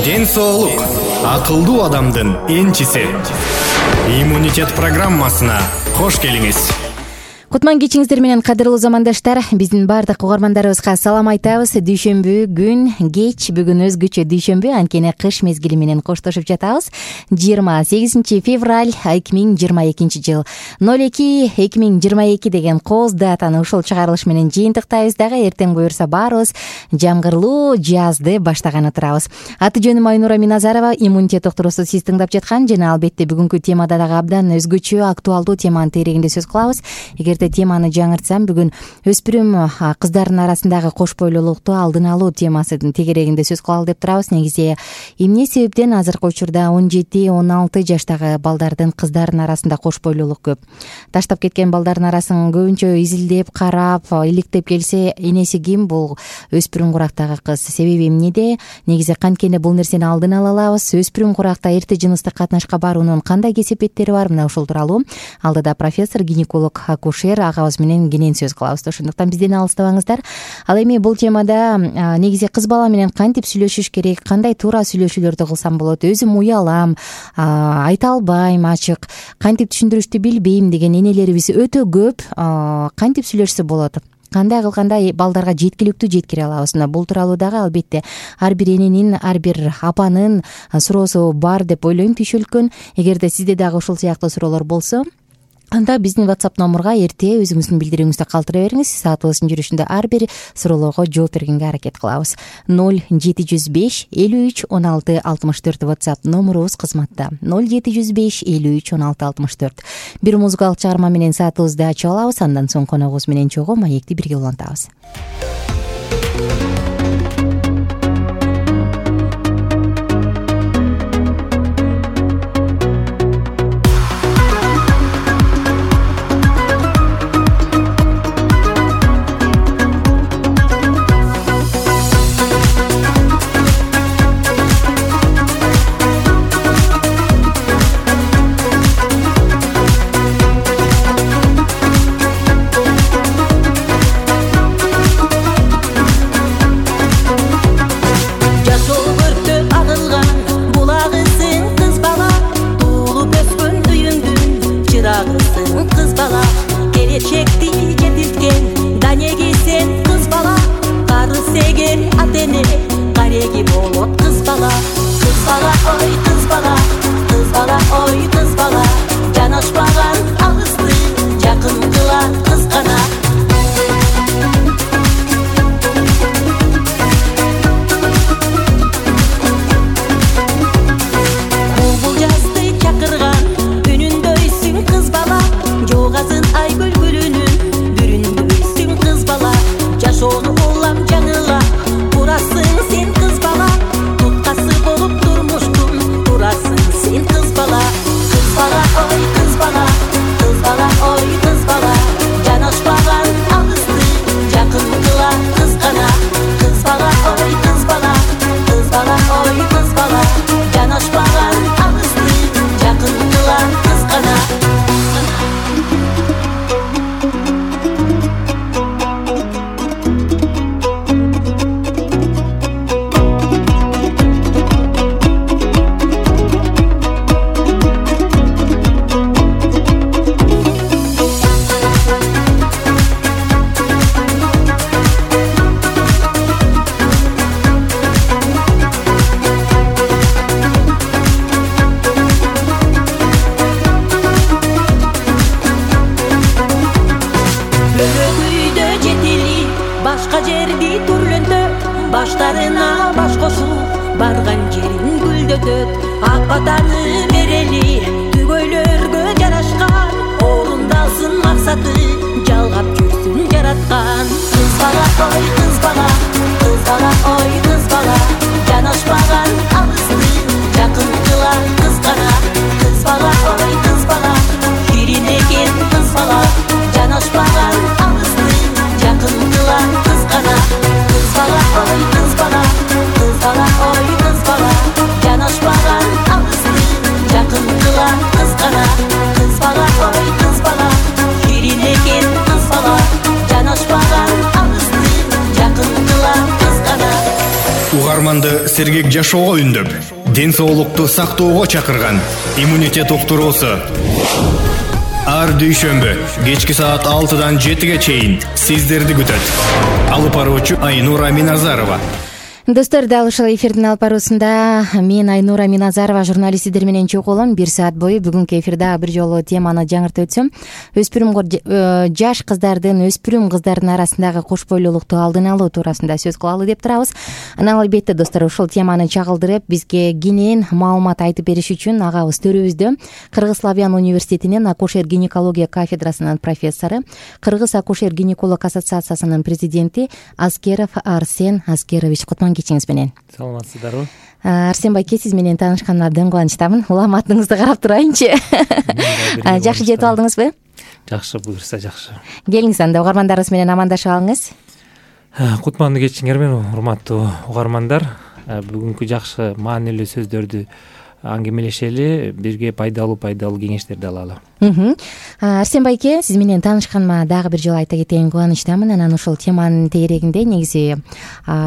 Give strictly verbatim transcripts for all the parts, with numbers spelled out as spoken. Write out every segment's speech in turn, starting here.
ден соолук акылдуу адамдын энчиси. Иммунитет программасына кош келиңиз. Кутман кечиңиздер менен кадырлуу замандаштар, биздин баардык угармандарыбызга салам айтабыз. Дүйшөмбү күн кеч, бүгүн өзгөчө дүйшөмбү, анткени кыш мезгили менен коштошуп жатабыз. жыйырма сегизинчи февраль эки миң жыйырма экинчи жыл ноль эки эки миң жыйырма эки деген кооз датаны ушул чыгарылыш менен жыйынтыктайбыз дагы. Эртең буюрса баарыбыз жамгырлуу жазды баштаганы турабыз. Аты жөнүм Айнура Миназарова, иммунитет доктурусу сиз тыңдап жаткан жана албетте бүгүнкү темада дагы абдан өзгөчө актуалдуу теманын тегерегинде сөз кылабыз. Эгерде теманы жаңыртсам, бүгүн өспүрүм кыздардын арасындагы кош бойлуулукту алдын алуу темасынын тегерегинде сөз кылалы деп турабыз. Негизи эмне себептен азыркы учурда он жети он алты жаштагы балдардын, кыздардын арасында кош бойлуулук көп? Таштап кеткен балдардын арасын көбүнчө изилдеп, карап, иликтеп келсе, энеси ким? Бул өспүрүм курактагы кыз. Себеби эмнеде? Негизи канткенде бул нерсени алдын ала алабыз. Өспүрүм куракта эрте жыныстык катнашка баруунун кандай кесепеттери бар? Мына ушул тууралуу алдыда профессор, гинеколог, акушер агабыз менен кенен сөз кылабыз. Ошондуктан бизден алыстабаңыздар. Ал эми бул темада негизи кыз бала менен кантип сүйлөшүш керек, кандай туура сүйлөшүүлөрдү кылсам болот, өзүм уялам, айта албайм ачык, кантип түшүндүрүштү билбейм деген энелерибиз өтө көп. Кантип сүйлөшсө болот? Кандай кылганда балдарга жеткиликтүү жеткире алабыз? Мына бул тууралуу дагы албетте ар бир эненин, ар бир апанын суроосу бар деп ойлойм түйшөлткөн. Эгерде сизде дагы ушул сыяктуу суроолор болсо, анда биздин WhatsApp номурга эрте өзүңүздүн билдирүүңүздү калтыра бериңиз. Саатыбыздын жүрүшүндө ар бир суроолорго жооп бергенге аракет кылабыз. ноль жети жүз беш элүү үч он алты алтымыш төрт WhatsApp номурубуз кызматта. ноль жети жүз беш элүү үч он алты алтымыш төрт. Бир музыкалык чыгарма менен саатыбызды ачып алабыз. Андан соң коногубуз менен чогуу маекти бирге улантабыз. сергек жашоого үндөп, ден соолукту сактоого чакырган иммунитет уктуруусу. Ар дүйшөмбү кечки саат алтыдан жетиге чейин сиздерди күтөт. Алып баруучу Айнура Миназарова. Достор, дал ушул эфирдин алып баруусунда мен Айнура Миназарова журналист сиздер менен чогулам. Бир саат бою бүгүнкү эфирде бир жолу теманы жаңыртып өтсөм, өспүрүм жаш кыздардын, өспүрүм кыздардын арасындагы кош бойлуулукту алдын алуу туурасында сөз кылалы деп турабыз. Анан албетте достор, ушул теманы чагылдырып бизге кенен маалымат айтып бериш үчүн агабыз төрүбүздө Кыргыз Славян университетинин акушер гинекология кафедрасынын профессору, Кыргыз акушер гинеколог ассоциациясынын президенти Аскеров Арсен Аскерович. Кутман кечиңиз менен. Саламатсыздарбы? Арсен байке, сиз менен таанышканыма абдан кубанычтамын. Улам атыңызды карап турайынчы. Жакшы жетип алдыңызбы? Жакшы, буюрса жакшы. Келиңиз анда угармандарыбыз менен амандашып алыңыз. Кутманды кечиңер менен, урматтуу угармандар. Бүгүнкү жакшы маанилүү сөздөрдү аңгемелешели, бирге пайдалуу пайдалуу кеңештерди алалы. Арсен байке, сиз менен таанышканыма дагы бир жолу айта кетейин, кубанычтамын. Анан ушул теманын тегерегинде негизи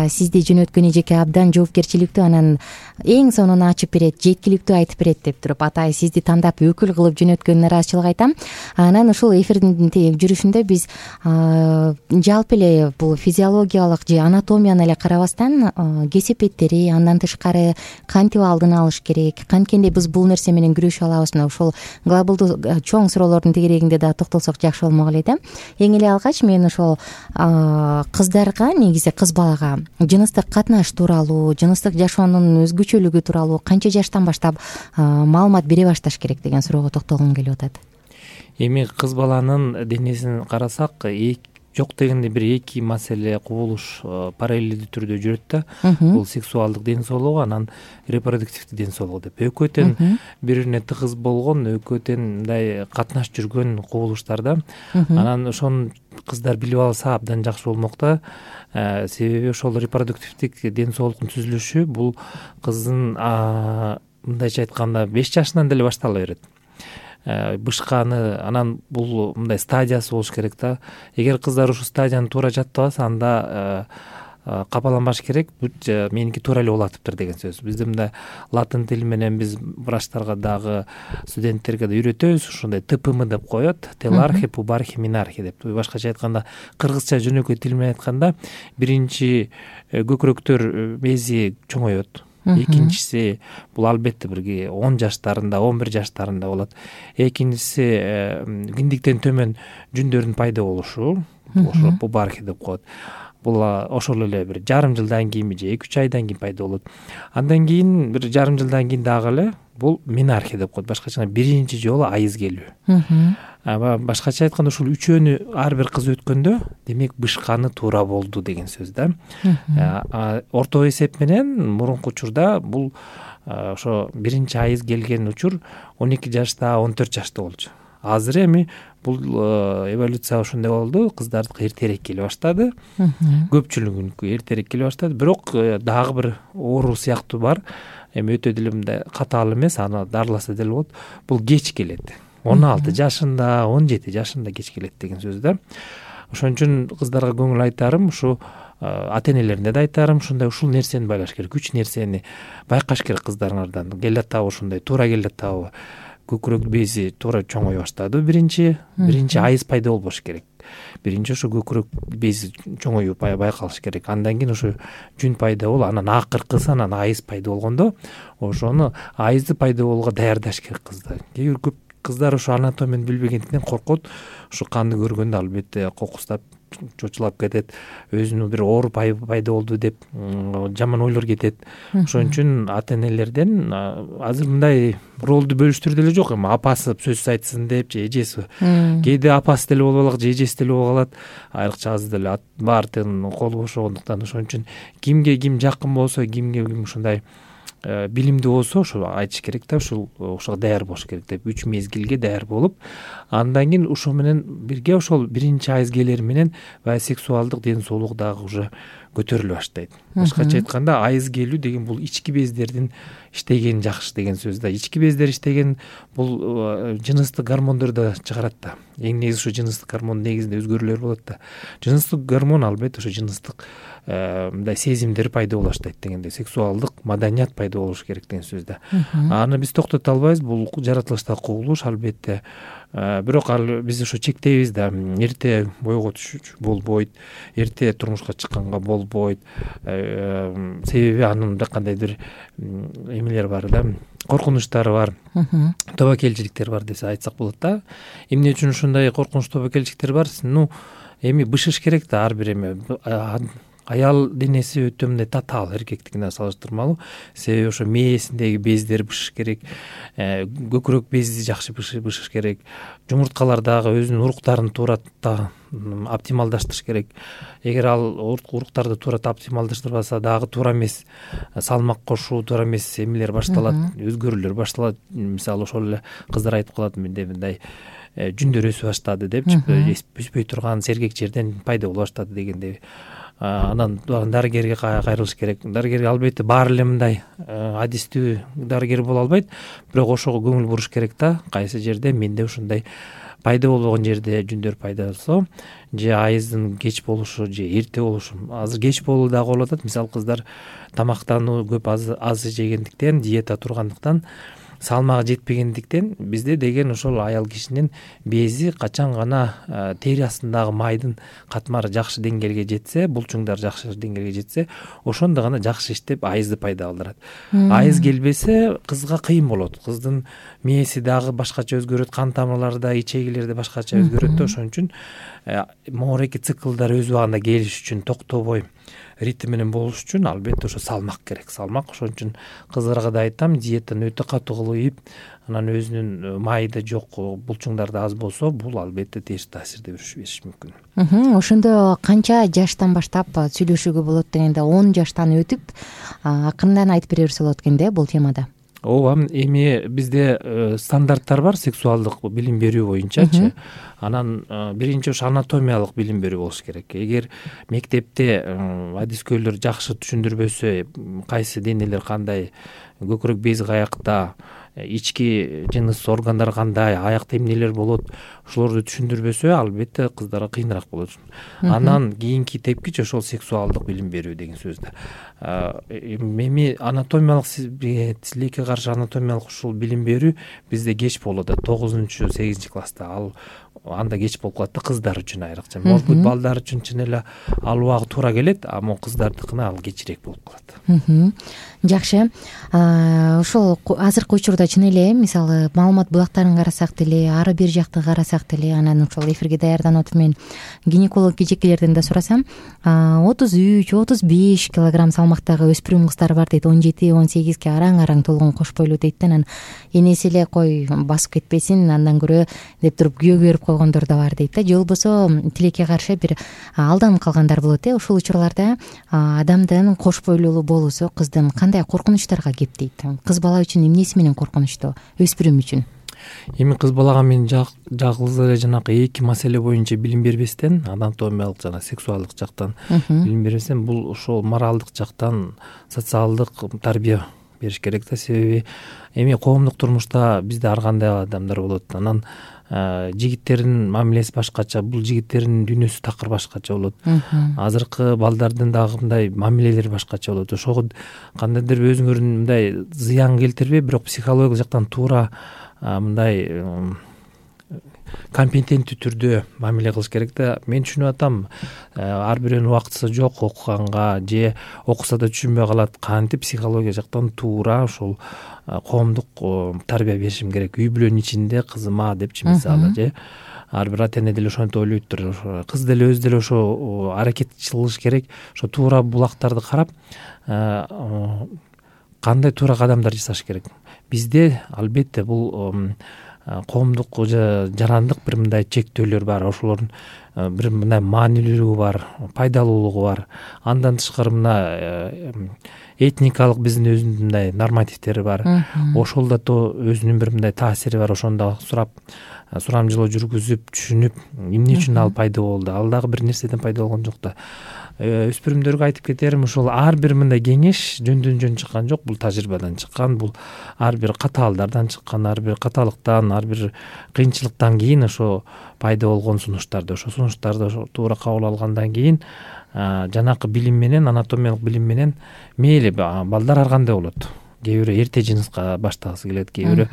сизди жөнөткөн эжеке абдан жоопкерчиликтүү, анан эң сонуну ачып берет, жеткиликтүү айтып берет деп туруп атай сизди тандап өкүл кылып жөнөткөнүнө ыраазычылык айтам. Анан ушул эфирдин жүрүшүндө биз жалпы эле бул физиологиялык же анатомияны эле карабастан кесепеттери, андан тышкары кантип алдын алыш керек, канткенде биз бул нерсе менен күрөшүп алабыз, мына ушул глобалдуу чоң суроолордун тегерегинде да токтолсок жакшы болмок эле да. Эң эле алгач мен ошол кыздарга, негизи кыз балага жыныстык катнаш тууралуу, жыныстык жашоонун өзгөчөлүгү тууралуу канча жаштан баштап маалымат бере башташ керек деген суроого токтолгум келип атат. Эми кыз баланын денесин карасак, жок дегенде бир эки маселе кубулуш параллелдүү түрдө жүрөт да. Бул сексуалдык ден соолугу, анан репродуктивдүү ден соолугу деп. Экөө тең бири бирине тыгыз болгон, экөө тең мындай катнаш жүргөн кубулуштар да. Анан ошону кыздар билип алса абдан жакшы болмок да. Себеби ошол репродуктивдик ден соолуктун түзүлүшү бул кыздын мындайча айтканда беш жашынан деле баштала берет. Бышканы, анан бул мындай стадиясы болуш керек да. Эгер кыздар ушул стадияны туура жаттабаса, анда капаланбаш керек. Бүт меники туура эле болатыптыр деген сөз. Бизде мындай латын тили менен биз врачтарга дагы студенттерге да үйрөтөбүз, ушундай тэ пэ эм деп коет, телархи, пубархи, минархи деп. Башкача айтканда, кыргызча жөнөкөй тил менен айтканда, биринчи көкүрөктөр бези чоңоет. Экинчиси бул албетте бир он жаштарында, он бир жаштарында болот. Экинчиси киндиктен төмөн жүндөрдүн пайда болушу, ошо пубархи деп коет. Бул ошол эле бир жарым жылдан кийин же эки үч айдан кийин пайда болот. Андан кийин бир жарым жылдан кийин дагы эле бул минархи деп коет. Башкача биринчи жолу айыз келүү. Башкача айтканда ушул үчөөнү ар бир кыз өткөндө, демек бышканы туура болду деген сөз да. Орто эсеп менен мурунку учурда бул ошо биринчи айыз келген учур он эки жашта, он төрт жашта болчу. Азыр эми бул эволюция ошондой болду, кыздардыкы эртерээк келе баштады. Көпчүлүгүнүкү эртерээк келе баштады, бирок дагы бир оору сыяктуу бар. Эми өтө деле мындай катаал эмес, аны дарыласа деле болот. Бул кеч келет. он алты жашында, он жети жашында кеч келет деген сөз да. Ошон үчүн кыздарга көңүл айтарым, ушу ата-энелерине да айтарым, ушундай ушул нерсени байлаш керек, үч нерсени байкаш керек кыздарыңардан. Келатабы ушундай, туура келатабы. Көкүрөк бези туура чоңой баштады биринчи, биринчи айыз пайда болбош керек. Биринчи ошо көкүрөк бези чоңоюу байкалыш керек. Андан кийин ошо жүн пайда болуп, анан акыркысы анан айыз пайда болгондо, ошону айызды пайда болууга даярдаш керек кызды. Кээ бир көп кыздар ошо анатомияны билбегендиктен коркот. Ошо канды көргөндө албетте кокустап, чочулап кетет, өзүнүн бир оору пайда болду деп жаман ойлор кетет. Ошон үчүн ата-энелерден азыр мындай ролду бөлүштүрүү деле жок, эми апасы сөз айтсын деп же эжеси. Кээде апасы деле болуп алат, же эжеси деле болуп алат. Айрыкча азыр деле баардыгынын колу бошогондуктан ошон үчүн кимге ким жакын болсо, кимге ким ушундай билимдүү болсо ошо айтыш керек да, ушул ошого даяр болуш керек деп, үч мезгилге даяр болуп, андан кийин ошо менен бирге ошол биринчи айыз келери менен баягы сексуалдык ден соолук дагы уже көтөрүлө баштайт. Башкача айтканда, айыз келүү деген бул ички бездердин иштегени жакшы деген сөз да. Ички бездер иштеген бул жыныстык гормондорду чыгарат да. Эң негизи ушу жыныстык гормон негизинде өзгөрүүлөр болот да. Жыныстык гормон албетте ошо жыныстык мындай сезимдер пайда боло баштайт дегендей, сексуалдык маданият пайда болуш керек деген сөз да. Аны биз токтото албайбыз, бул жаратылыштагы кубулуш албетте. Бирок ал биз ошо чектейбиз да, эрте бойго түшүш болбойт, эрте турмушка чыкканга болбойт. Себеби анын кандайдыр эмелери бар да, коркунучтары бар, тобокелчиликтер бар деп айтсак болот да. Эмне үчүн ушундай коркунуч тобокелчиликтер бар? Ну, эми бышыш керек да ар бир эме. Аял денеси өтө мындай татаал, эркектикине салыштырмалуу. Себеби ошо мээсиндеги бездер бышыш керек, көкүрөк бези жакшы бышыш керек, жумурткалар дагы өзүнүн уруктарын туура оптималдаштырыш керек. Эгер ал уруктарды туура оптималдаштырбаса дагы туура эмес салмак кошуу, туура эмес эмелер башталат, өзгөрүүлөр башталат. Мисалы ошол эле кыздар айтып калат, менде мындай жүндөр өсүп баштады депчи, өспөй турган сергек жерден пайда боло баштады дегендей. Анан дарыгерге кайрылыш керек. Дарыгерге албетте баары эле мындай адистүү дарыгер боло албайт, бирок ошого көңүл буруш керек да, кайсы жерде менде ушундай пайда болбогон жерде жүндөр пайда болсо, же айыздын кеч болушу, же эрте болушу. Азыр кеч болуу дагы болуп атат. Мисалы кыздар тамактануу көп аз жегендиктен, диета тургандыктан, салмагы жетпегендиктен бизде деген ошол аял кишинин бези качан гана тери астындагы майдын катмары жакшы деңгээлге жетсе, булчуңдар жакшы деңгээлге жетсе, ошондо гана жакшы иштеп айызды пайда кылдырат. Айыз келбесе кызга кыйын болот. Кыздын мээси дагы башкача өзгөрөт, кан тамырлары да, ичегилери да башкача өзгөрөт да. Ошон үчүн моореки циклдар өз убагында келиш үчүн, токтобой ритм менен болуш үчүн албетте ошо салмак керек. Салмак. Ошон үчүн кыздарга да айтам, диетаны өтө катуу кылып, анан өзүнүн майы жок, булчуңдар да аз болсо, бул албетте терс таасирди бериши мүмкүн. Ошондо канча жаштан баштап сүйлөшүүгө болот дегенде, он жаштан өтүп акырындан айтып бере берсе болот экен да бул темада. Ооба, эми бизде стандарттар бар сексуалдык билим берүү боюнчачы. Анан биринчи ошо анатомиялык билим берүү болуш керек. Эгер мектепте адискөйлөр жакшы түшүндүрбөсө, кайсы денелер кандай, көкүрөк бези каякта, ички жыныс органдар кандай, аякта эмнелер болот, ошолорду түшүндүрбөсө, албетте кыздарга кыйыныраак болот. Анан кийинки тепкич ошол сексуалдык билим берүү деген сөз да. Эми анатомиялык тилекке каршы анатомиялык ушул билим берүү бизде кеч болот да, тогузунчу сегизинчи класста. Ал анда кеч болуп калат да, кыздар үчүн айрыкча. Может быть, балдар үчүн чын эле ал убагы туура келет, амма кыздардыкына ал кечирээк болуп калат. Жакшы. Ошол азыркы учурда чын эле, мисалы, маалымат булактарын карасак деле, ары бир жакты карасак деле, анан ошол эфирге даярданып атып мен гинеколог кежекелерден да сурасам, отуз үч отуз беш килограмм салмактагы өспүрүм кыздар бар дейт, он жети он сегизге араң-араң толгон кош бойлуу дейт да. Анан энеси эле кой басып кетпесин, андан көрө деп туруп күйөө берип койгондор да бар дейт да. Же болбосо тилекке каршы бир алданып калгандар болот э. Ушул учурларда адамдын кош бойлуулуу болуусу кыздын кандай коркунучтарга кептейт? Кыз бала үчүн эмнеси менен коркунучтуу, өспүрүм үчүн? Эми кыз балага мен жалгыз эле жанакы эки маселе боюнча билим бербестен, анатомиялык жана сексуалдык жактан билим бербестен, бул ошол моралдык жактан социалдык тарбия бериш керек да. Себеби эми коомдук турмушта бизде ар кандай адамдар болот. Анан жигиттердин мамилеси башкача, бул жигиттердин дүйнөсү такыр башкача болот. Азыркы балдардын дагы мындай мамилелери башкача болот. Ошого кандайдыр өзүңөрдүн мындай зыян келтирбей, бирок психологиялык жактан туура мындай компетенттүү түрдө мамиле кылыш керек да. Мен түшүнүп атам, ар бирөөнүн убактысы жок окуганга, же окуса да түшүнбөй калат. Кантип психология жактан туура ошол коомдук тарбия беришим керек. Үй бүлөнүн ичинде кызыма депчи, мисалы, же ар бир ата эне деле ошентип ойлойттур. Кыз деле өзү деле ошо аракет кылыш керек. Ошо туура булактарды карап, кандай туура кадамдар жасаш керек. Бизде албетте бул коомдук жарандык бир мындай чектөөлөр бар, ошолордун бир мындай маанилүүлүгү бар, пайдалуулугу бар. Андан тышкары мына этникалык биздин өзүнүн мындай нормативтери бар. Ошол да өзүнүн бир мындай таасири бар. Ошондо сурап, сурамжылоо жүргүзүп, түшүнүп, эмне үчүн ал пайда болду, ал дагы бир нерседен пайда болгон жок да. өспүрүмдөргө айтып кетерим, ушул ар бир мындай кеңеш жөндөн жөн чыккан жок, бул тажрыйбадан чыккан, бул ар бир катаалдардан чыккан, ар бир каталыктан, ар бир кыйынчылыктан кийин ошо пайда болгон сунуштарды, ошо сунуштарды туура кабыл алгандан кийин жанакы билим менен, анатомиялык билим менен мейли балдар ар кандай болот. Кээ бирөө эрте жыныска баштагысы келет, кээ бирөө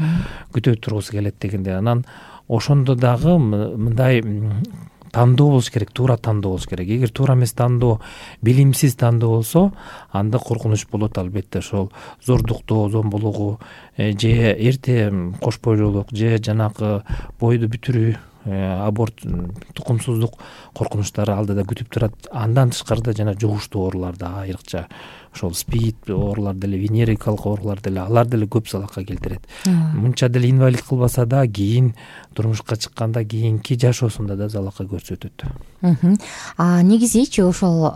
күтө тургусу келет дегенде, анан ошондо дагы мындай тандоо болуш керек, туура тандоо болуш керек. Эгер туура эмес тандоо, билимсиз тандоо болсо, анда коркунуч болот албетте. Ошол зордуктоо, зомбулугу же эрте кош бойлуулук же жанакы бойду бүтүрүү, аборт, тукумсуздук коркунучтары алдыда күтүп турат. Андан тышкарыда жана жугуштуу оорулар да айрыкча, ошол спид оорулар деле, венерикалык оорулар деле, алар деле көп залалга келтирет. Мынча деле инвалид кылбаса да, кийин турмушка чыкканда, кийинки жашоосунда да залалга көрсөтөт. А негизичи ошол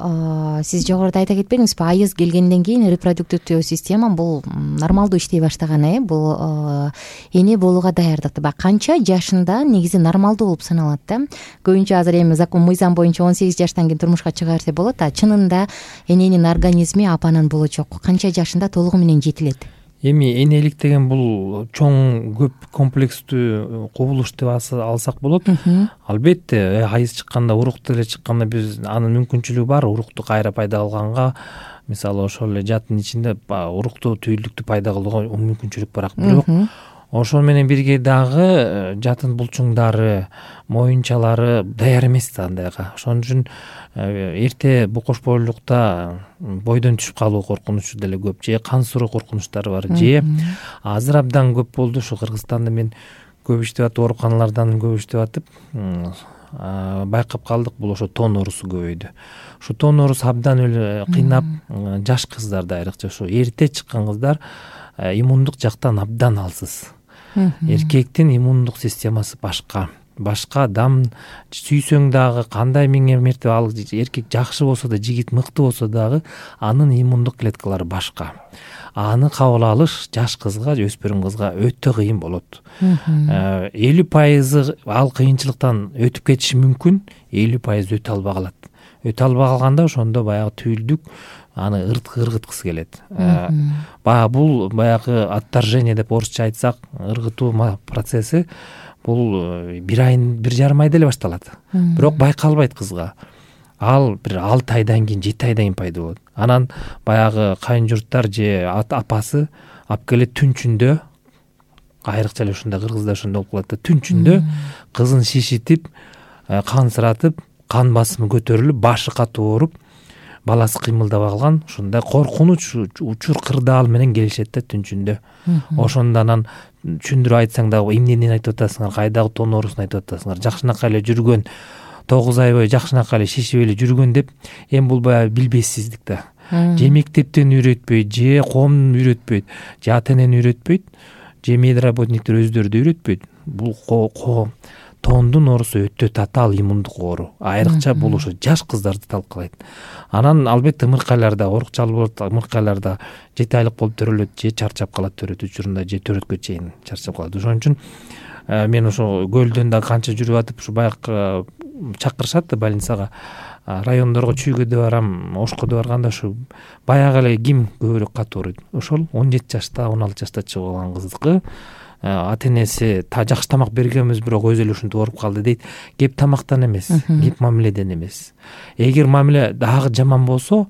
сиз жогоруда айта кетпедиңизби, айыз келгенден кийин репродуктивдүү система бул нормалдуу иштей баштаган, э бул эне болууга даярдыкты баягы канча жашында негизи нормалдуу болуп саналат да. Көбүнчө азыр эми закон мыйзам боюнча он сегиз жаштан кийин турмушка чыга берсе болот, а чынында эненин организми апанын болочок канча жашында толугу менен жетилет? Эми энелик деген бул чоң көп комплекстүү кубулуш деп алсак болот. Албетте айыз чыкканда, урук деле чыкканда биз анын мүмкүнчүлүгү бар, урукту кайра пайда кылганга, мисалы ошол эле жатын ичинде уруктуу түйүлдүктү пайда кылууга мүмкүнчүлүк бар. Бирок ошол менен бирге дагы жатын булчуңдары, моюнчалары даяр эмес да андайга. Ошон үчүн эрте бул кош бойлуулукта бойдон түшүп калуу коркунучу деле көп, же кан суроо коркунучтары бар, же азыр абдан көп болду. Ушу Кыргызстанда мен көп иштеп атып, ооруканалардан көп иштеп атып байкап калдык, бул ошо тон оорусу көбөйдү. Ушу тон оорусу абдан эле кыйнап, жаш кыздарда айрыкча ошо эрте чыккан кыздар иммундук жактан абдан алсыз. Эркектин иммундук системасы башка. Башка адам сүйсөң дагы, кандай миңе мертебе ал эркек жакшы болсо да, жигит мыкты болсо дагы, анын иммундук клеткалары башка. Аны кабыл алыш жаш кызга, өспүрүм кызга өтө кыйын болот. элүү пайызы ал кыйынчылыктан өтүп кетиши мүмкүн, элүү пайыз өтө албай калат. Өтө албай калганда ошондо баягы түйүлдүк аны ыргыткысы келет. Баягы бул баягы отторжение деп орусча айтсак, ыргытуу процесси бул бир айын, бир жарым айда эле башталат. Бирок байкалбайт кызга. Ал бир алты айдан кийин, жети айдан кийин пайда болот. Анан баягы кайын журттар же апасы алып келет түнчүндө, айрыкча эле ушундай кыргызда ошондой болуп калат да, түнчүндө кызын шишитип, кансыратып, кан басымы көтөрүлүп, башы катуу ооруп, баласы кыймылдабай калган, ушундай коркунуч учур кырдаал менен келишет да түнчүндө. Ошондо анан түшүндүрүп айтсаң дагы эмнени айтып атасыңар, кайдагы тон оорусун айтып атасыңар, жакшынакай эле жүргөн, тогуз ай бою жакшынакай эле шишип эле жүргөн деп, эми бул баягы билбессиздик да. Же мектептен үйрөтпөйт, же коом үйрөтпөйт, же ата энени үйрөтпөйт, же медработниктер өздөрү да үйрөтпөйт. Бул коом тондун оорусу өтө татаал иммундук оору. Айрыкча бул ошо жаш кыздарды талкалайт. Анан албетте ымыркайларда, оорукчал болот, ымыркайларда жети айлык болуп төрөлөт, же чарчап калат төрөт учурунда, же төрөткө чейин чарчап калат. Ошон үчүн мен ошо көлдөн да канча жүрүп атып, ушу баягы чакырышат да больницага, райондорго чүйгөдө барам, ошкодо барганда ушу баягы эле ким көбүрөөк катуу ооруйт. Ошол он жети жашта, он алты жашта чыгып алган кыздыкы ата энеси жакшы тамак бергенбиз, бирок өзү эле ушинтип ооруп калды дейт. Кеп тамактан эмес, кеп мамиледен эмес. Эгер мамиле дагы жаман болсо,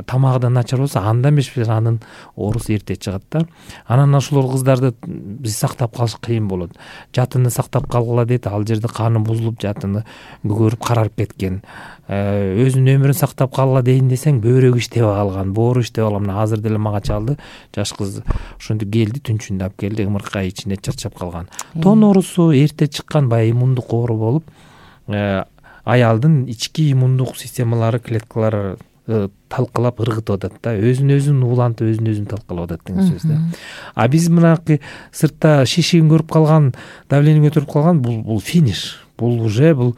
тамагы да начар болсо, анда эмес анын оорусу эрте чыгат да. Анан ошол кыздарды биз сактап калыш кыйын болот. Жатынды сактап калгыла дейт, ал жерде каны бузулуп, жатыны көгөрүп карарып кеткен. Өзүнүн өмүрүн сактап калгыла дейин десең, бөйрөгү иштебей калган, боору иштебей калган. Мына азыр деле мага чалды, жаш кыз ошентип келди, түнчүндө алып келди, ымыркай ичинде чарчап калган. Тон оорусу эрте чыккан баягы иммундук оору болуп, аялдын ички иммундук системалары, клеткалары талкалап ыргытып атат да, өзүн өзүн уулантып, өзүн өзүн талкалап атат деген сөз да. А биз мынакы сыртта шишигин көрүп калган, давление көтөрүп калган, бул бул финиш. Бул уже бул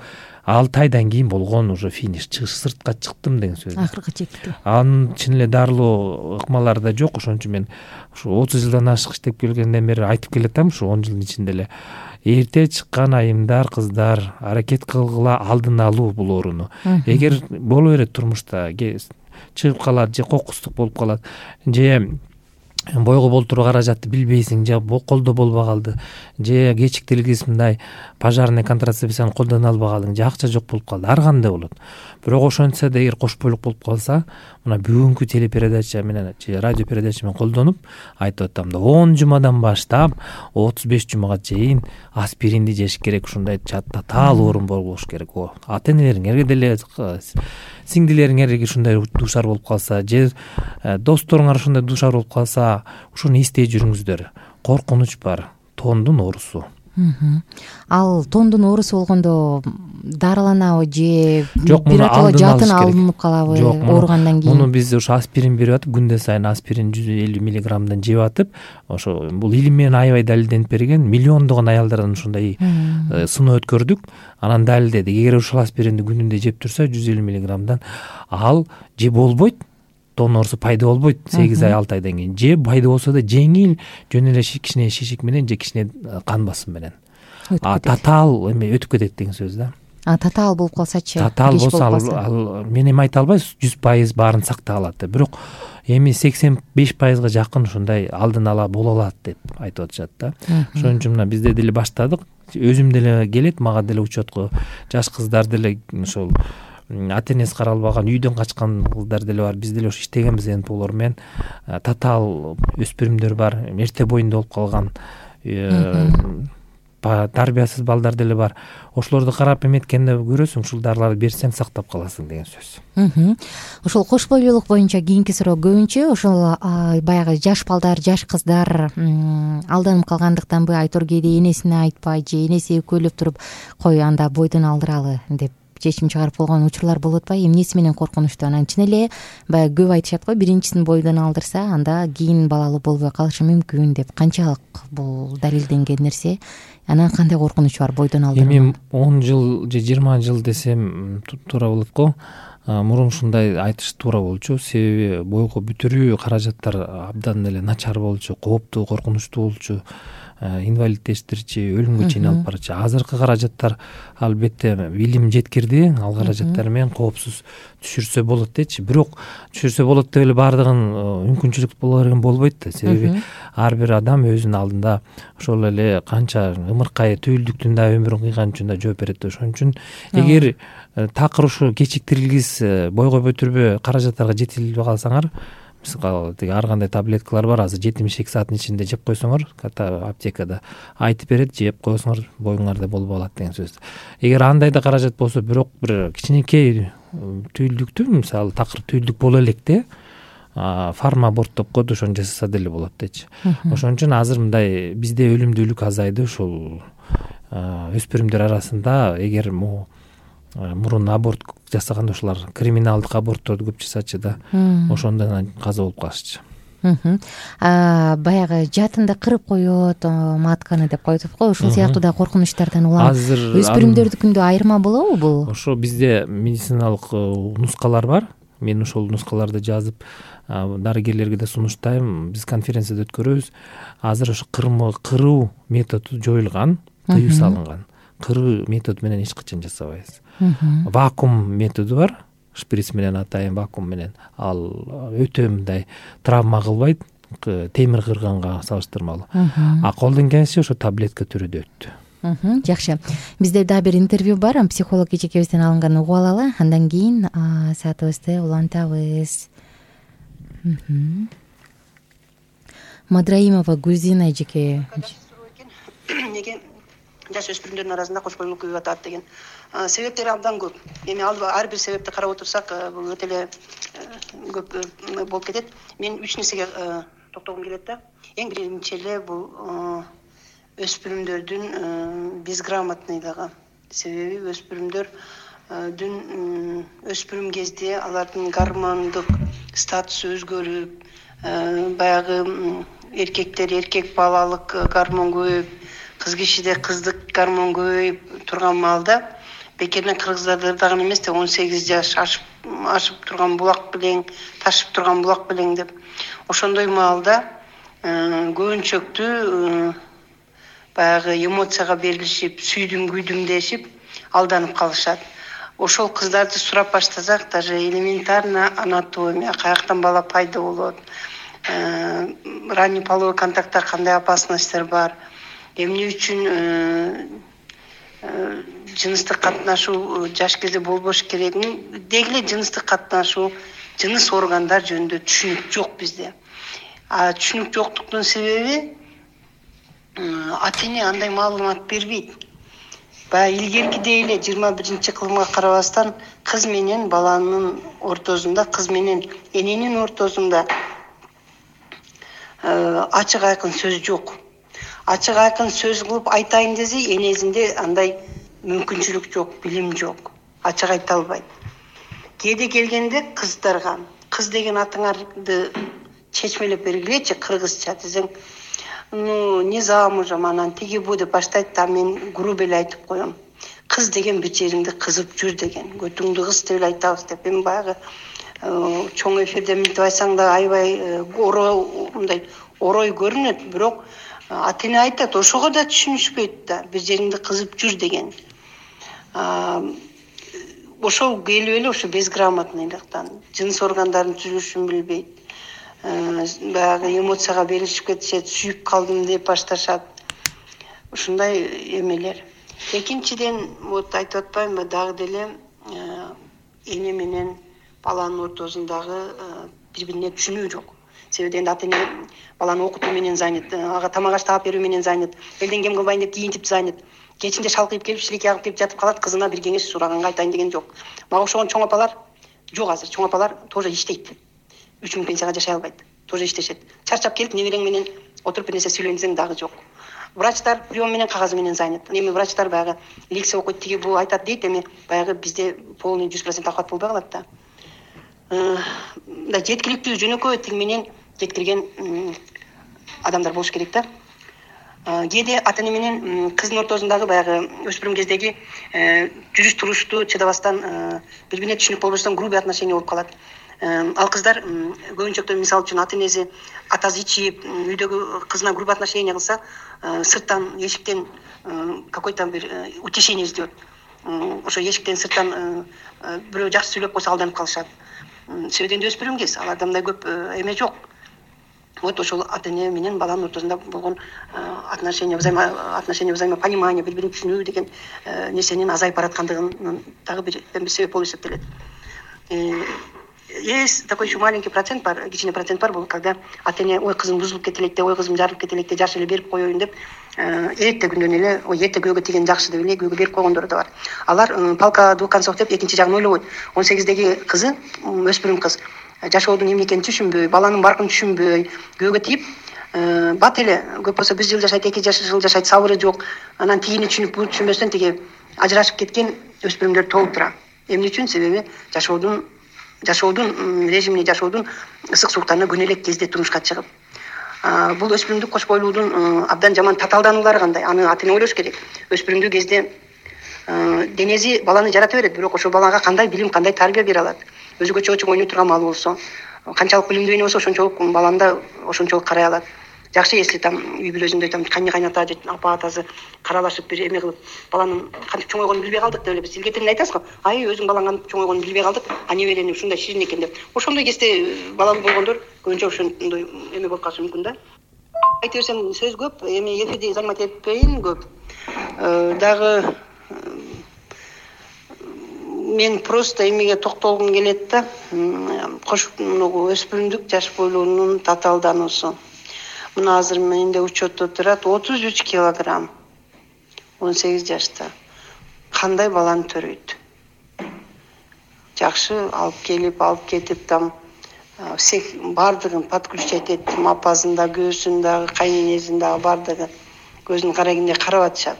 алты айдан кийин болгон уже финиш, сыртка чыктым деген сөз. Акыркы чекти. Анын чын эле дарылоо ыкмалары да жок. Ошон үчүн мен ушу отуз жылдан ашык иштеп келгенден бери айтып келатам, ушу он жылдын ичинде эле эрте чыккан айымдар, кыздар аракет кылгыла, алдын алуу бул ооруну. Эгер боло берет турмушта чыгып калат же кокустук болуп калат, же бойго болтуруу каражатты билбейсиң, же колдо болбой калды, же кечиктиргиз мындай пожарный контрацепцияны колдоно албай калдың, же акча жок болуп калды, ар кандай болот. Бирок ошентсе да эгер кош бойлук болуп калса, мына бүгүнкү телепередача менен же радио передача менен колдонуп айтып атам да, он жумадан баштап отуз беш жумага чейин аспиринди жеш керек, ушундай татаал оорун болуш керек. Ата энелериңерге деле, сиңдилериңерге ушундай дуушар болуп калса, же досторуңар ушундай дуушар болуп калса, ушуну эстей жүрүңүздөр. Коркунуч бар, тондун оорусу. Ал тондун оорусу болгондо дарыланабы же жок, биротоло жатын алынып калабы ооругандан кийин? Муну биз ошо аспирин берип атып, күндө сайын аспирин жүз элүү миллиграммдан жеп атып, ошо бул илим менен аябай далилденип берген, миллиондогон аялдардан ушундай сыноо өткөрдүк. Анан далилдедик, эгер ушул аспиринди күнүндө жеп турса жүз элүү миллиграммдан, ал же болбойт, тон оорусу пайда болбойт сегиз ай алты айдан кийин, же пайда болсо да жеңил, жөн эле кичине шишик менен же кичине кан басым менен. А татаал эме өтүп кетет деген сөз да. А татаал болуп калсачы? Татаал болсо ал мен эми айта албайм жүз пайыз баарын сактай алат деп, бирок эми сексен беш пайызга жакын ушундай алдын ала боло алат деп айтып атышат да. Ошон үчүн мына бизде деле баштадык. Өзүм деле келет, мага деле учетко жаш кыздар деле ошол ата энеси карай албаган, үйдөн качкан кыздар деле бар. Биз деле ошо иштегенбиз энпулор менен. Татаал өспүрүмдөр бар, эрте боюнда болуп калган тарбиясыз балдар деле бар. Ошолорду карап эметкенде көрөсүң, ушул дарыларды берсең сактап каласың деген сөз. Ошол кош бойлуулук боюнча кийинки суроо көбүнчө ошол баягы жаш балдар, жаш кыздар алданып калгандыктанбы, Айтор кээде энесине айтпай же энеси экөөлөп туруп кой анда бойдон алдыралы деп чечим чыгарып болгон учурлар болуп атпайбы? Эмнеси менен коркунучтуу? Анан чын эле баягы көп айтышат го, биринчисин бойдон алдырса анда кийин балалуу болбой калышы мүмкүн деп. Канчалык бул далилденген нерсе? Анан кандай коркунуч бар бойдон алдыруу? Эми он жыл же жыйырма жыл десем туура болот го. Мурун ушундай айтыш туура болчу, себеби бойго бүтүрүү каражаттар абдан эле начар болчу, кооптуу, коркунучтуу болчу. Инвалиддештирчи, өлүмгө чейин алып барчу. Азыркы каражаттар албетте билим жеткирди, ал каражаттар менен коопсуз түшүрсө болот дечи. Бирок түшүрсө болот деп эле баардыгын мүмкүнчүлүк боло берген болбойт да. Себеби ар бир адам өзүнүн алдында ошол эле канча ымыркай түйүлдүктүн да өмүрүн кыйган үчүн да жооп берет. Ошон үчүн эгер такыр ушу кечиктирилгис, бойго бүтүрбө каражаттарга жете албай калсаңар, мисалы тиги ар кандай таблеткалар бар, азыр жетимиш эки сааттын ичинде жеп койсоңор, ката аптекада айтып берет, жеп койсоңор боюңарда болбой калат деген сөз. Эгер андай да каражат болсо, бирок бир кичинекей түйүлдүктү, мисалы такыр түйүлдүк боло электе фармаборт деп коет, ошону жасаса деле болот дечи. Ошон үчүн азыр мындай бизде өлүмдүүлүк азайды ушул өспүрүмдөр арасында. Эгер могу мурун аборт жасаганда ушулар криминалдык абортторду көп жасачу да, ошондон каза болуп калышчу. Баягы жатында кырып коет, матканы деп коет го, ушул сыяктуу да коркунучтардан улам өспүрүмдөрдүкүндө айырма болобу бул? Ошо бизде медициналык нускалар бар. Мен ошол нускаларды жазып дарыгерлерге да сунуштайм. Биз конференцияда өткөрөбүз. Азыр ошо кыруу методу жоюлган, тыюу салынган. Кыруу метод менен эч качан жасабайбыз. Вакуум методу бар, шприц менен атайын, вакуум менен. Ал өтө мындай травма кылбайт, темир кырганга салыштырмалуу. А колдон келиши ошо таблетка түрүндө өттү. Жакшы. Бизде дагы бир интервью бар, психолог эжекебизден алынган угуп алалы, андан кийин саатыбызды улантабыз. Мадраимова Гүлзина эжеке. Неге жаш өспүрүмдөрдүн арасында кош бойлуулук көбөйүп атат деген себептери абдан көп. Эми ар бир себепти карап отурсак, бул өтө эле көп болуп кетет. Мен үч нерсеге токтогум келет да. Эң биринчи эле бул өспүрүмдөрдүн безграмотныйлыгы. Себеби өспүрүмдөрдүн өспүрүм кезде алардын гормондук статусу өзгөрүп, баягы эркектер эркек балалык гормон көбөйүп, кыз кишиде кыздык гормон көбөйүп турган маалда бекерден кыргыздар дагы эмес да он сегиз жаш ашып ашып турган булак белең, ташып турган булак белең деп ошондой маалда көбүнчөктүү баягы эмоцияга берилишип, сүйдүм күйдүм дешип алданып калышат. Ошол кыздарды сурап баштасак, даже элементарно анатомия, каяктан бала пайда болот, ранний половой контактта кандай опасностьтер бар, эмне үчүн жыныстык катнашуу жаш кезде болбош керек, деги эле жыныстык катнашуу, жыныс органдар жөнүндө түшүнүк жок бизде. А түшүнүк жоктуктун себеби ата эне андай маалымат бербейт. Баягы илгеркидей эле жыйырма биринчи кылымга карабастан кыз менен баланын ортосунда, кыз менен эненин ортосунда ачык айкын сөз жок. Ачык айкын сөз кылып айтайын десе, энесинде андай мүмкүнчүлүк жок, билим жок. Ачык айта албайт. Кээде келгенде кыздарга кыз деген атыңарды чечмелеп бергилечи кыргызча десең, ну не замужем, анан тиги бу деп баштайт да, мен грубо эле айтып коем. Кыз деген бичериңди кызып жүр деген, көтүңдү кыз деп эле айтабыз деп. Эми баягы чоң эфирде мынтип айтсаң да аябай мындай орой көрүнөт, бирок ата эне айтат, ошого да түшүнүшпөйт да, бир жериңди кызып жүр деген. Ошол келип эле ошо безграмотныйлыктан, жыныс органдарынын түзүлүшүн билбейт. Баягы эмоцияга берилишип кетишет, сүйүп калдым деп башташат. Ушундай эмелер. Экинчиден, вот айтып атпаймынбы, дагы деле эне менен баланын ортосундагы бири-бирине түшүнүү жок. Себеби дегенде ата эне баланы окутуу менен занят, ага тамак аш таап берүү менен занят, элден кем кылбайын деп кийинтип занят. Кечинде шалкыйып келип, шилекке агып келип жатып калат, кызына бир кеңеш сураганга айтайын деген жок. Мага окшогон чоң апалар жок азыр. Чоң апалар тоже иштейт. үч миң пенсияга жашай албайт. Тоже иштешет. Чарчап келип, неберең менен отуруп бир нерсе сүйлөнсөң дагы жок. Врачтар прием менен кагазы менен занят. Эми врачтар баягы лекция окуйт, тиги бул айтат дейт, эми баягы бизде полный жүз процент охват болбой калат да. Да жеткиликтүү жөнөкөй тил менен жеткирген адамдар болуш керек да. Кээде ата эне менен кыздын ортосундагы баягы өспүрүм кездеги жүрүш турушту чыдабастан бири-бирине түшүнүк болбостон грубый отношение болуп калат. Ал кыздар көбүнчөктө мисалы үчүн ата энеси атасы ичип, үйдөгү кызына грубый отношение кылса, сырттан эшиктен какой-то бир утешение издеп, ошо эшиктен сырттан бирөө жакшы сүйлөп койсо алданып калышат. Себеби өспүрүм кез, аларда мындай көп эме жок. Вот ошол ата эне менен баланын ортосунда болгон отношение, взаимоотношение, взаимопонимание, бири-бирин түшүнүү деген нерсенин азайып бараткандыгынын дагы бир себеп болуп эсептелет. Есть такой еще маленький процент бар, кичине процент бар, бул когда ата эне ой кызым бузулуп кете элек, ой кызым жарылып кете элек, жаш эле берип коеюн деп, эрте күндөн эле ой эрте күйөөгө тийген жакшы деп эле күйөөгө берип койгондор да бар. Алар палка двух концов деп экинчи жагын ойлобойт. он сегиздеги кызы, өспүрүм кыз, жашоодун эмне экенин түшүнбөй, баланын баркын түшүнбөй, күйөөгө тийип, бат эле көп болсо бир жыл жашайт, эки жыл жашайт, сабыры жок. Анан тигини түшүнүп, буну түшүнбөстөн тиги ажырашып кеткен өспүрүмдөр толуп турат. Эмне үчүн? Себеби жашоодун жашоодун режимине, жашоодун ысык сууктарына күнө элек кезде турмушка чыгып. Бул өспүрүмдүк кош бойлуудун абдан жаман татаалдануулары кандай? Аны ата эне ойлош керек. Өспүрүмдүк кезде денеси баланы жарата берет, бирок ошол балага кандай билим, кандай тарбия бере алат? Өзгөчө чоң ойной турган маал болсо, канчалык билимдүү эне болсо, ошончолук баланда ошончолук карай алат. Жакшы, если там үй бүлөсүндө там кайны кайната же апа атасы каралашып бир эме кылып, баланын кантип чоңойгонун билбей калдык деп эле биз илгертен айтасыз го. Ай, өзүң балаң кантип чоңойгонун билбей калдык, а неберени ушундай ширин экен деп. Ошондой кезде балалуу болгондор көбүнчө ошондой эме болуп калышы мүмкүн да. Айта берсем сөз көп, эми эфирди занимать этпейин көп. Дагы мен просто эмеге токтолгум келет да. Кош өспүрүмдүк жаш бойлуунун татаалдануусу. Мына азыр менде учетто турат отуз үч килограмм, он сегиз жашта. Кандай баланы төрөйт? Жакшы алып келип, алып кетип там всех бардыгын подключать эттим, апасында, көөсүндө, кайненесинде бардыгы көзүн карагенде карап атышат.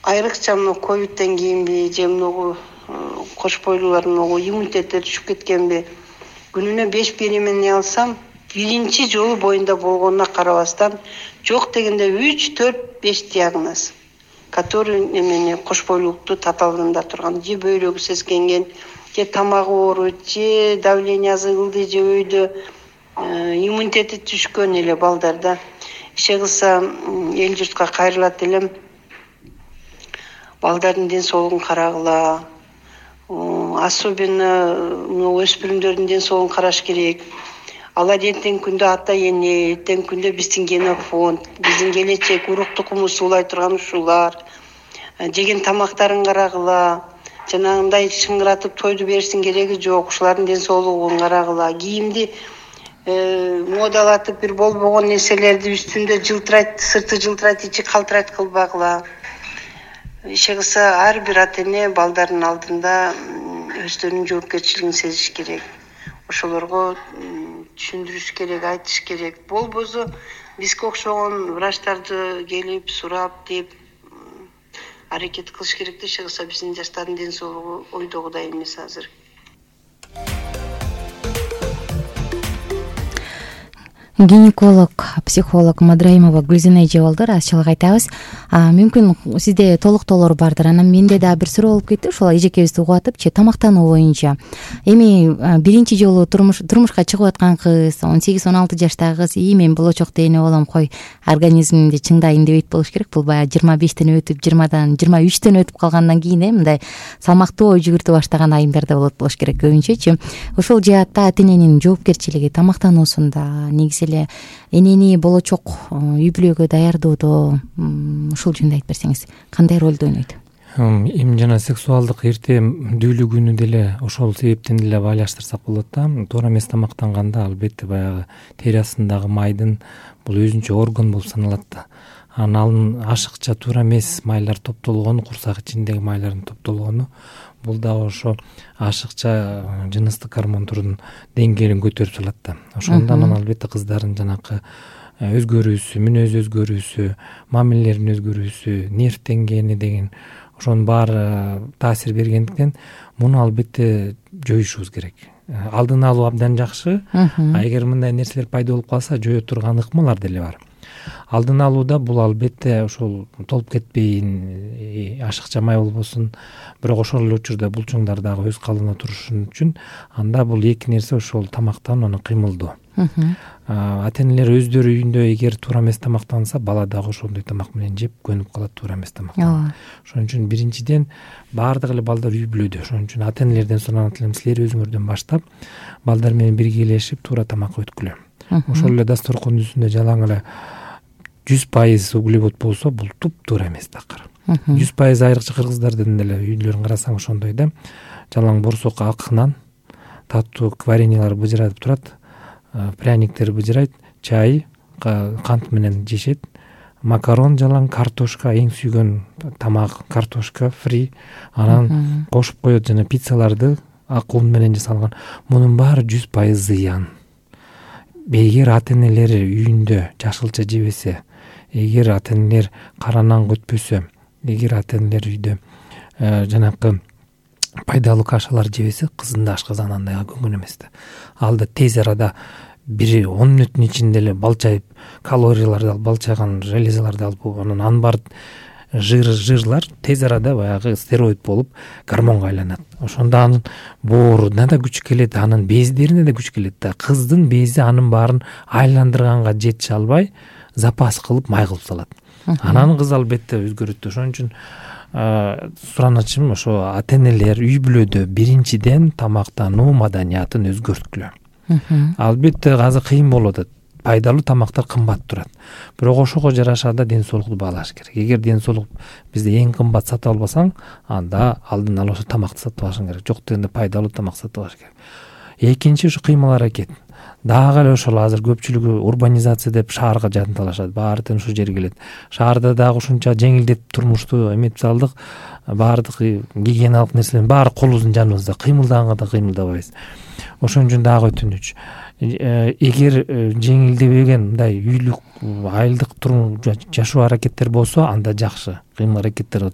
Айрыкча мына ковидтен кийинби же мына кош бойлуулардын иммунитеттери түшүп кеткенби? Күнүнө беш беременный алсам, биринчи жолу боюнда болгонуна карабастан, жок дегенде үч, төрт, беш диагноз. который эмени кош бойлуулукту татаалында турган, же бөйрөгү сескенген, же тамагы ооруйт, же давлениясы кылды, же өйдө иммунитети түшкөн эле балдарда. Иши кылса эл журтка кайрылат элем. Балдардын ден соолугун карагыла. Особенно өспүрүмдөрдүн ден соолугун караш керек. Алар эртең күндө ата эне, эртең күндө биздин генофонд, биздин келечек урук тукуму суулай турган ушулар. Жеген тамактарын карагыла. Жанагындай шыңгыратып тойду берсин кереги жок. Ушулардын ден соолугун карагыла. Кийимди модалатып бир болбогон нерселерди үстүндө жылтырайт, сырты жылтырайт, ичи калтырайт кылбагыла. Иши кылса ар бир ата эне балдардын алдында өздөрүнүн жоопкерчилигин сезиш керек. Ошолорго түшүндүрүш керек, айтыш керек. Болбосо бизге окшогон врачтарды келип сурап деп аракет кылыш керек да. Иши кылса биздин жаштардын ден соолугу ойдогудай эмес азыр. Гинеколог, психолог Мадраимова Гүлзина эже болду. Азчылык айтабыз. Мүмкүн сизде толуктоолор бардыр. Анан менде да бир суроо болуп кетти. Ошол эжекебизди угатып, тамактануу боюнча. Эми биринчи жолу турмуш турмушка чыгып аткан кыз, он сегиз он алты жаштагы кыз, "И, мен болочокто эне болом, кой, организмимди чыңдайын" депейт болуш керек. Бул баягы жыйырма бештен өтүп, жыйырмадан жыйырма үчтөн өтүп калгандан кийин э мындай салмактуу ой жүгүртө баштаган айымдарда болот болуш керек көбүнчөчү. Ошол жаатта ата эненин жоопкерчилиги тамактануусунда, негизи эле энени болочок үй бүлөгө даярдоодо ушул жөнүндө айтып берсеңиз, кандай ролду ойнойт? Эми жана сексуалдык эртемдүүлүк күнү деле ошол себептен деле байлаштырсак болот да. Туура эмес тамактанганда албетте баягы тери астындагы майдын бул өзүнчө орган болуп саналат да. Анан ашыкча туура эмес майлар топтолгону, курсак ичиндеги майлардын топтолгону бул дагы ошо ашыкча жыныстык гормондордун деңгээлин көтөрүп салат да. Ошондон анан албетте кыздардын жанакы өзгөрүүсү, мүнөз өзгөрүүсү, мамилелеринин өзгөрүүсү, нерв деңгээли деген ошонун баары таасир бергендиктен муну албетте жоюшубуз керек. Алдын алуу абдан жакшы, а эгер мындай нерселер пайда болуп калса жое турган ыкмалар деле бар. Алдын алууда бул албетте ошол толуп кетпейин, ашыкча май болбосун, бирок ошол эле учурда булчуңдар дагы өз калыбына турушун үчүн анда бул эки нерсе ошол тамактануу, анан кыймылдоо. Ата энелер өздөрү үйүндө эгер туура эмес тамактанса, бала дагы ошондой тамак менен жеп көнүп калат, туура эмес тамактан. Ошон үчүн биринчиден баардык эле балдар үй бүлөдө. Ошон үчүн ата энелерден суранат элем, силер өзүңөрдөн баштап балдар менен биргелешип туура тамак өткүлө. Ошол эле дасторкондун үстүндө жалаң эле жүз пайыз углевод болсо, бул туп-туура эмес такыр. жүз пайыз айрыкча кыргыздардын деле үйлөрүн карасаң ошондой да. Жалаң борсок ак нан, таттуу вареньялар быжырап турат, пряниктер быжырайт, чай, кант менен жешет, макарон жалаң, картошка, эң сүйгөн тамак картошка фри, анан кошуп коет жана пиццаларды ак ун менен жасалган. Мунун баары жүз пайыз зыян. Эгер ата энелер үйүндө жашылча жебесе, эгер ата энелер кара нан көтпөсө, эгер ата энелер үйдө жанакы пайдалуу кашалар жебесе, кыздын да ашказаны андай көңүл эмес да. Ал да тез арада бир он мүнөттүн ичинде эле балчайып, калорияларды алып, балчайган железаларды алып, анан анын бар жыр жырлар тез арада баягы стероид болуп гормонго айланат. Ошондо анын бооруна да күч келет, анын бездерине да күч келет да. Кыздын бези анын баарын айландырганга жетише албай, запас кылып май кылып салат. Анан кыз албетте өзгөрөт. Ошон үчүн суранычым ошо ата энелер үй бүлөдө биринчиден тамактануу маданиятын өзгөрткүлө. Албетте азыр кыйын болуп атат. Пайдалуу тамактар кымбат турат. Бирок ошого жараша да ден соолукту баалаш керек. Эгер ден соолук бизде эң кымбат сатып албасаң, анда алдын ала ошо тамакты сатып алышың керек. Жок дегенде пайдалуу тамак сатып алыш керек. Экинчи ушу кыймыл аракет. Дагы эле ошол азыр көпчүлүгү урбанизация деп шаарга жанталашат. Баардыгы ушул жерге келет. Шаарда дагы ушунча жеңилдеп турмушту эметип салдык. Баардык гигиеналык нерселердин баары колубуздун жаныбызда. Кыймылдаганга да кыймылдабайбыз. Ошон үчүн дагы өтүнүч. Эгер жеңилдебеген мындай үйлүк айылдык турмуш жашоо аракеттер болсо, анда жакшы. Кыймыл аракеттер.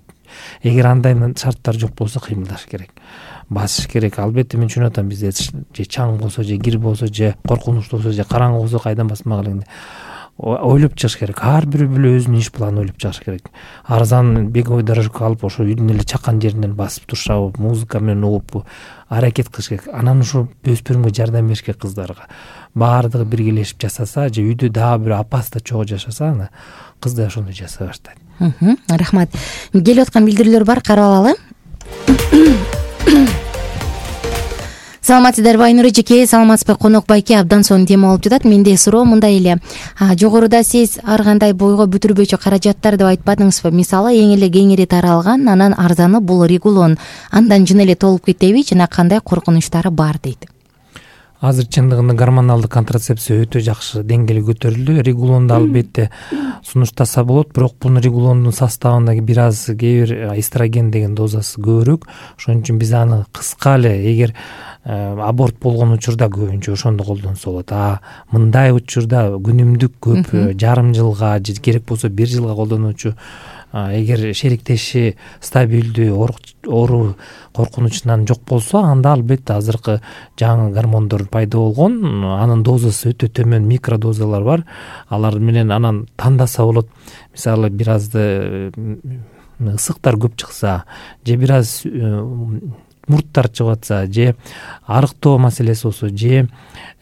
Эгер андай шарттар жок болсо, кыймылдаш керек. Басыш керек. Албетте мен түшүнүп атам, бизде же чаң болсо, же кир болсо, же коркунучтуу болсо, же караңгы болсо кайдан басмак эле. ойлоп чыгыш керек. Ар бир бүлө өзүнүн иш планын ойлоп чыгыш керек. Арзан беговой дорожка алып ошо үйдүн эле чакан жеринен басып турушабы, музыка менен угуппу аракет кылыш керек. Анан ошо өспүрүмгө жардам бериш керек, кыздарга. Баардыгы биргелешип жасаса же үйдө дагы бир апасы чогуу жашаса, ана кыз да ошондой жасай баштайт. Рахмат. Келип аткан билдирүүлөр бар, карап алалы. Саламатсыздарбы Айнур эжеке, саламатсызбы конок байке, абдан сонун тема болуп жатат. Менде суроо мындай эле. Жогоруда сиз ар кандай бойго бүтүрбөчү каражаттар деп айтпадыңызбы? Мисалы, эң эле кеңири таралган, анан арзаны бул регулон. Андан жөн эле толуп кетеби, жана кандай коркунучтары бар дейт. Азыр чындыгында гормоналдык контрацепция өтө жакшы деңгээли көтөрүлдү. Регулонду албетте сунуштаса болот, бирок бул регулондун составында бир аз кээ бир эстроген деген дозасы көбүрөөк. Ошон үчүн биз аны кыска эле, эгер аборт болгон учурда көбүнчө ошондо колдонсо болот. А мындай учурда күнүмдүк көп, жарым жылга же керек болсо бир жылга колдонуучу, эгер шериктеши стабилдүү, оору коркунучунан жок болсо, анда албетте азыркы жаңы гормондор пайда болгон, анын дозасы өтө төмөн микродозалар бар. Алар менен анан тандаса болот. Мисалы, бир азды ысыктар көп чыкса, же бир аз мурттар чыгып атса, же арыктоо маселеси болсо, же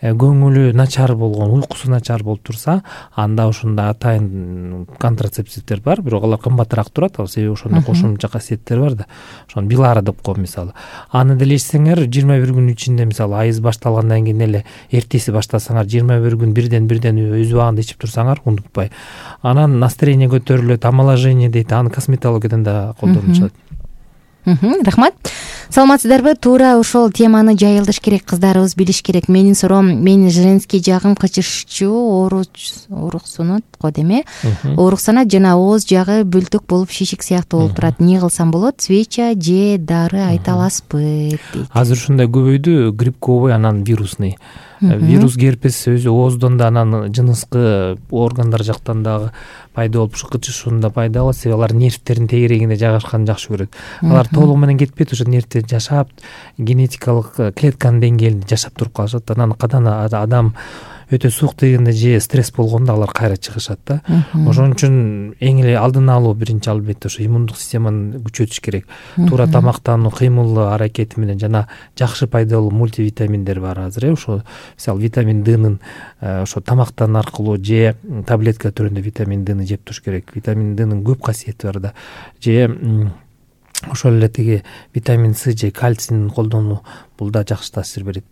көңүлү начар болгон, уйкусу начар болуп турса, анда ошондо атайын контрацептивдер бар, бирок алар кымбатыраак турат, себеби ошондо кошумча касиеттер бар да. Ошону Билара деп коем мисалы. Аны деле ичсеңер жыйырма бир күн ичинде, мисалы, айыз башталгандан кийин эле эртеси баштасаңар, жыйырма бир күн бирден бирден өз убагында ичип турсаңар, унутпай. Анан настроение көтөрүлөт, омоложение дейт, аны косметологиядан да колдонушат. Рахмат. Саламатсыздарбы? Туура ошол теманы жайылтыш керек, кыздарыбыз билиш керек. Менин суроом, менин женский жагым кычышчу, ооруксунат го деме. Ооруксанат жана ооз жагы бүлтүк болуп, шишик сыяктуу болуп турат. Эмне кылсам болот? Свеча же дары айта аласызбы дейт. Азыр ушундай көбөйдү, грибковый, анан вирусный. Вирус герпес өзү ооздон да, анан жыныскы органдар жактан дагы пайда болуп, ушу кычышуунда пайда болот. Себеби алар нервтердин тегерегинде жайгашканды жакшы көрөт. Алар толугу менен кетпейт, ошо нервтер жашап, генетикалык клетканын деңгээлинде жашап туруп калышат. Анан кадан адам өтө суук дегенде же стресс болгондо алар кайра чыгышат да. Ошон үчүн эң эле алдын алуу биринчи албетте ошо иммундук системаны күчөтүш керек. Туура тамактануу, кыймыл аракети менен жана жакшы пайдалуу мультивитаминдер бар азыр. Ошо мисалы витамин Днын ошо тамактан аркылуу же таблетка түрүндө витамин Дны жеп туруш керек. Витамин Днын көп касиети бар да. Же ошол эле тиги витамин С же кальцийни колдонуу, бул да жакшы таасир берет.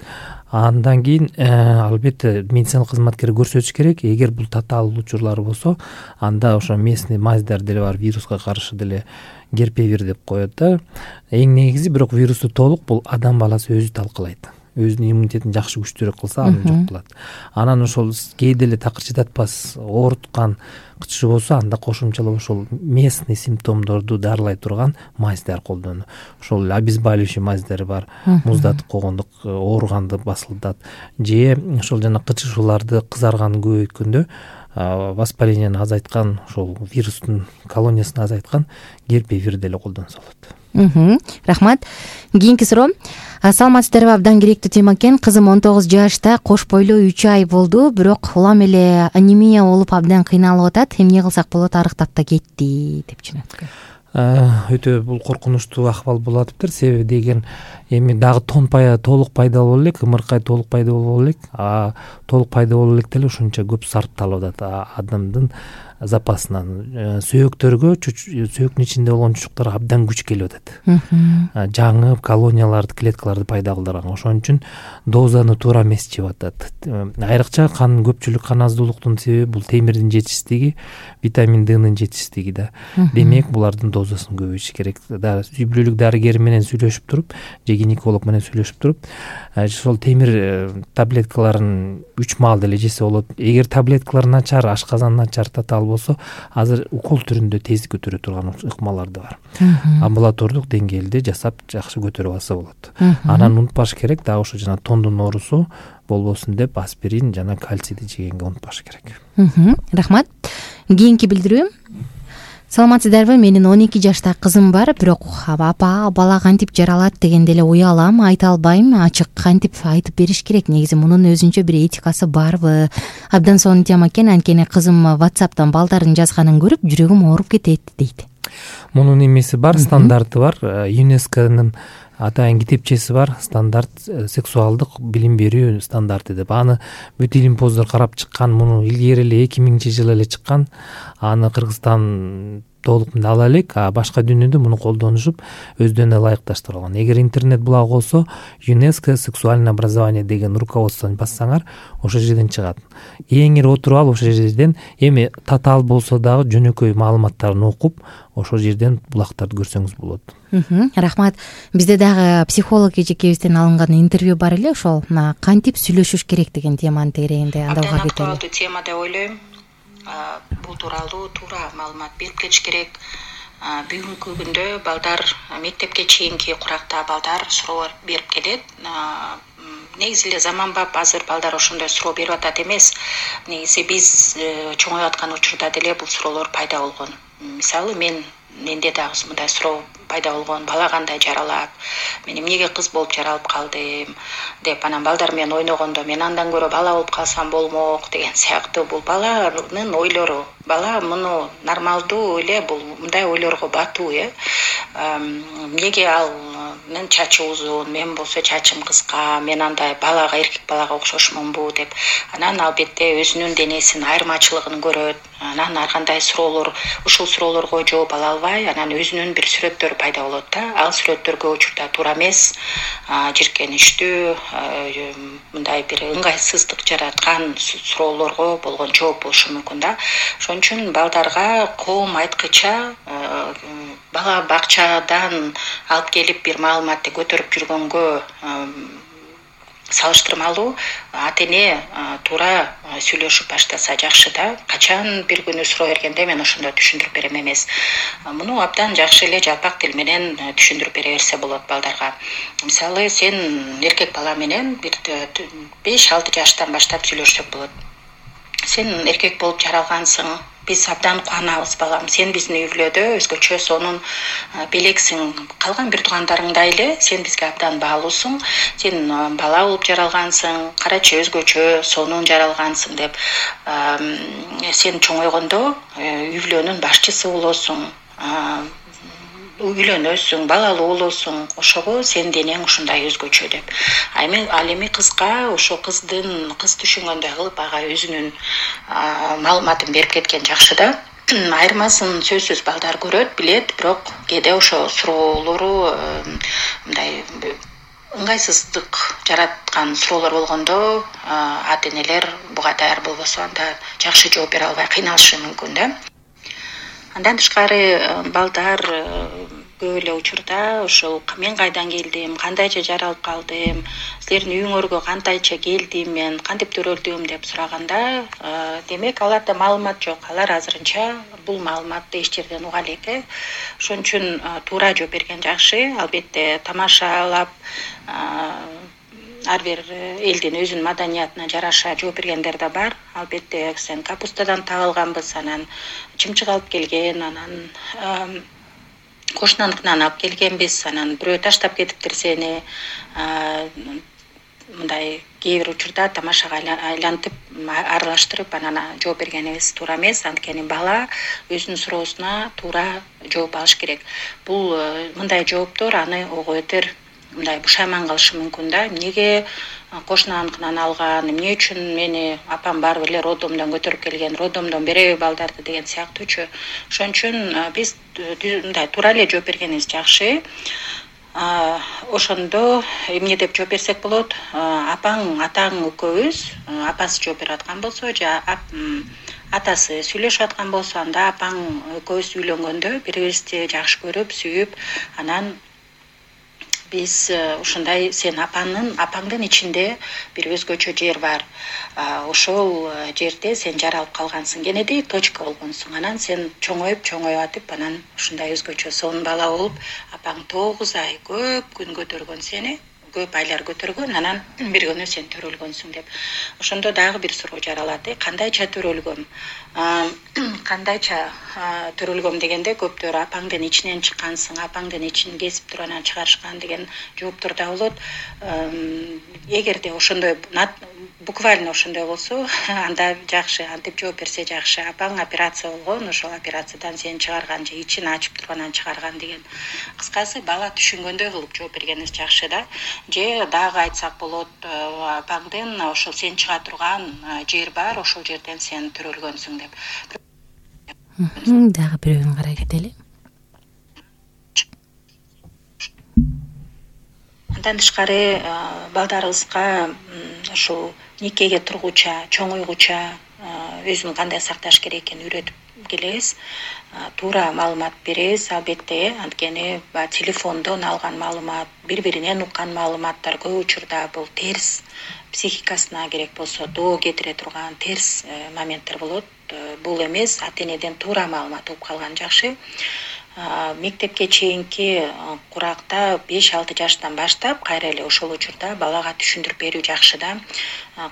Андан кийин албетте медицина кызматкери көрсөтүш керек. Эгер бул татаал учурлар болсо, анда ошо местный мазьдар деле бар, вируска каршы деле герпевир деп коет да. Эң негизи бирок вирусту толук бул адам баласы өзү талкалайт. Өзүнүн иммунитетин жакшы күчтүүрөөк кылса, аны жок кылат. Анан ошол кээде эле такыр чыдатпас, ооруткан кычышуу болсо, анда кошумчалап ошол местный симптомдорду дарылай турган мазьдар колдонуу. Ошол обезболивающий мазьдар бар, муздатып койгондук, ооруганды басылдат. Же ошол жана кычышууларды, кызарганды көбөйткөндө воспалениени азайткан, ошол вирустун колониясын азайткан герпевир деле колдонсо болот. Рахмат. Кийинки суроо. Саламатсыздарбы? Абдан керектүү тема экен. Кызым он тогуз жашта, кош бойлуу, үч ай болду, бирок улам эле анемия болуп абдан кыйналып атат. Эмне кылсак болот? Арыктап да кетти деп жөнөткөн. Өтө бул коркунучтуу акыбал болуп атыптыр. Себеби деген эми дагы тон пая толук пайда боло элек, ымыркай толук пайда боло элек, а толук пайда боло элек деле ушунча көп сарпталып атат адамдын запасынан. Сөөктөргө, сөөктүн ичинде болгон чучуктарга абдан күч келип атат. Жаңы колонияларды, клеткаларды пайда кылдырган. Ошон үчүн дозаны туура эмес жеп атат. Айрыкча кан көпчүлүк кан аздуулуктун себеби бул темирдин жетишсиздиги, витамин Днын жетишсиздиги да. Демек, булардын дозасын көбөйтүш керек. Үй бүлөлүк дарыгер менен сүйлөшүп туруп, же гинеколог менен сүйлөшүп туруп, ошол темир таблеткаларын үч маал деле жесе болот. Эгер таблеткалар начар, ашказан начар, татаал болсо, азыр укол түрүндө тез көтөрө турган ыкмалар да бар. Амбулатордук деңгээлде жасап жакшы көтөрүп алса болот. Анан унутпаш керек, дагы ошо жана тондун оорусу болбосун деп аспирин жана кальцийди жегенге унутпаш керек. Рахмат. Кийинки билдирүү. саламатсыздарбы? Менин он эки жашта кызым бар, бирок апа бала кантип жаралат дегенде эле уялам, айта албайм. Ачык кантип айтып бериш керек? Негизи мунун өзүнчө бир этикасы барбы? Абдан сонун тема экен. Анткени кызым WhatsApp'тан балдардын жазганын көрүп жүрөгүм ооруп кетет дейт. Мунун эмеси бар, стандарты бар. ЮНЕСКОнун атайын китепчеси бар, стандарт сексуалдык билим берүү стандарты деп. Аны бүт илимпоздор карап чыккан. Муну илгери эле эки миңинчи жылы эле чыккан. Аны Кыргызстан толук менен ала элек, а башка дүйнөдө муну колдонушуп өздөрүнө ылайыкташтырып алган. Эгер интернет блог болсо, ЮНЕСКО сексуальное образование деген руководствону бассаңар, ошол жерден чыгат. Эң эле отуруп алып ошол жерден эми татаал болсо дагы жөнөкөй маалыматтарын окуп, ошол жерден булактарды көрсөңүз болот. Рахмат. Бизде дагы психолог эжекебизден алынган интервью бар эле, ошол кантип сүйлөшүш керек деген теманын тегерегинде андага кетели. Актуалдуу тема деп ойлойм. Бул тууралуу туура маалымат берип кетиш керек. Бүгүнкү күндө балдар мектепке чейинки куракта балдар суроо берип келет. Негизи эле заманбап азыр балдар ошондой суроо берип атат эмес. Негизи биз чоңоюп аткан учурда деле бул суроолор пайда болгон. Мисалы мен менде дагы мындай суроо пайда болгон. Бала кандай жаралат? Мен эмнеге кыз болуп жаралып калдым деп, анан балдар менен ойногондо мен андан көрө бала болуп калсам болмок деген сыяктуу. Бул баланын ойлору. Бала муну нормалдуу эле, бул мындай ойлорго батуу, э. Эмнеге ал мен чачы узун, мен болсо чачым кыска, мен андай балага, эркек балага окшошмунбу деп. Анан албетте өзүнүн денесинин айырмачылыгын көрөт. Анан ар кандай суроолор, ушул суроолорго жооп ала албай, анан өзүнүн бир сүрөттөрү пайда болот да. Ал сүрөттөр көп учурда туура эмес, жиркеничтүү, мындай бир ыңгайсыздык жараткан суроолорго болгон жооп болушу мүмкүн да. Ошон үчүн балдарга коом айткыча бала бакчадан алып келип бир маалыматты көтөрүп жүргөнгө салыштырмалуу ата-эне туура сүйлөшүп баштаса жакшы да. Качан бир күнү суроо бергенде мен ошондо түшүндүрүп берем эмес. Муну абдан жакшы эле жалпак тил менен түшүндүрүп бере берсе болот балдарга. Мисалы, сен эркек бала менен бир беш алты жаштан баштап сүйлөшсөк болот. Сен эркек болуп жаралгансың. Биз абдан кубанабыз, балам. Сен биздин үй бүлөдө өзгөчө сонун белексиң. Калган бир туугандарыңдай эле сен бизге абдан баалуусуң. Сен бала болуп жаралгансың, карачы өзгөчө сонун жаралгансың деп. Сен чоңойгондо үй бүлөнүн башчысы болосуң. Үйлөнөсүң, балалуу болосуң, ошого сен денең ушундай өзгөчө деп. Ал эми кызга ошо кыздын кыз түшүнгөндөй кылып ага өзүнүн маалыматын берип кеткен жакшы да. Айырмасын сөзсүз балдар көрөт, билет, бирок кээде ошо суроолору мындай ыңгайсыздык жараткан суроолор болгондо ата-энелер буга даяр болбосо анда жакшы жооп бере албай кыйналышы мүмкүн да. Андан тышкары балдар көп эле учурда ошол мен кайдан келдим, кандайча жаралып калдым, силердин үйүңөргө кантайча келдим, мен кантип төрөлдүм деп сураганда, демек аларда маалымат жок. Алар азырынча бул маалыматты эч жерден уга элек. Ошон үчүн туура жооп берген жакшы. Албетте тамашалап ар бир элдин өзүнүн маданиятына жараша жооп бергендер да бар. Албетте сен капустадан табылганбыз, анан чымчык алып келген, анан кошунаныкынан алып келгенбиз, анан бирөө таштап кетиптир сени. Мындай кээ бир учурда тамашага айлантып, аралаштырып анан жооп бергенибиз туура эмес. Анткени бала өзүнүн суроосуна туура жооп алыш керек. Бул мындай жооптор аны ого бетер мындай бушайман кылышы мүмкүн да. Эмнеге кошунаныкынан алган, эмне үчүн мени апам барып эле роддомдон көтөрүп келген, роддомдон береби балдарды деген сыяктуучу. Ошон үчүн биз мындай туура эле жооп бергенибиз жакшы. Ошондо эмне деп жооп берсек болот? Апаң, атаң экөөбүз, апасы жооп берип аткан болсо, же атасы сүйлөшүп аткан болсо, анда апаң экөөбүз үйлөнгөндө бири-бирибизди жакшы көрүп, сүйүп, анан биз ушундай сен апаңдын апаңдын ичинде бир өзгөчө жер бар. Ошол жерде сен жаралып калгансың, кенедей точка болгонсуң. Анан сен чоңоюп, чоңоюп атып, анан ушундай өзгөчө сонун бала болуп, апаң тогуз ай көп күн көтөргөн сени, көп айлар көтөргөн, анан бир күнү сен төрөлгөнсүң деп. Ошондо дагы бир суроо жаралат. Кандайча төрөлгөм? Кандайча төрөлгөм дегенде көптөр апаңдын ичинен чыккансың, апаңдын ичин кесип туруп анан чыгарышкан деген жооптор да болот. Эгерде ошондой буквально ошондой болсо, анда жакшы, антип жооп берсе жакшы. Апаң операция болгон, ошол операциядан сени чыгарган же ичин ачып тургандан чыгарган деген. Кыскасы бала түшүнгөндөй кылып жооп бергениңиз жакшы да. Же дагы айтсак болот, апаңдын ошол сен чыга турган жер бар, ошол жерден сен төрөлгөнсүң деп. Дагы бирөөнү карай кетели. Андан тышкары балдарыбызга ушул никеге тургуча, чоңойгуча өзүн кандай сакташ керек экенин үйрөтүп келебиз. Туура маалымат беребиз, албетте, анткени телефондон алган маалымат, бири-биринен уккан маалыматтар көп учурда бул терс, психикасына керек болсо доо кетире турган терс моменттер болот. Бул эмес, ата-энеден туура маалымат угуп калган жакшы. Мектепке чейинки куракта беш алты жаштан баштап кайра эле ошол учурда балага түшүндүрүп берүү жакшы да.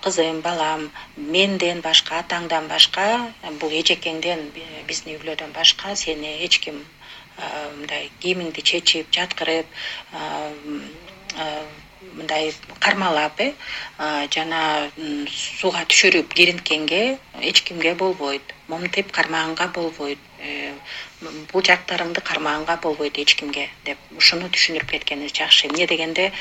Кызым, балам, менден башка, атаңдан башка, бул эжекеңден, биздин үйлөдөн башка сени эч ким мындай кийимиңди чечип, жаткырып, мындай кармалап, э, жана сууга түшүрүп киринткенге эч кимге болбойт. Момтип кармаганга болбойт. Бул жактарыңды кармаганга болбойт эч кимге деп ушуну түшүндүрүп кеткениңиз жакшы. Эмне дегенде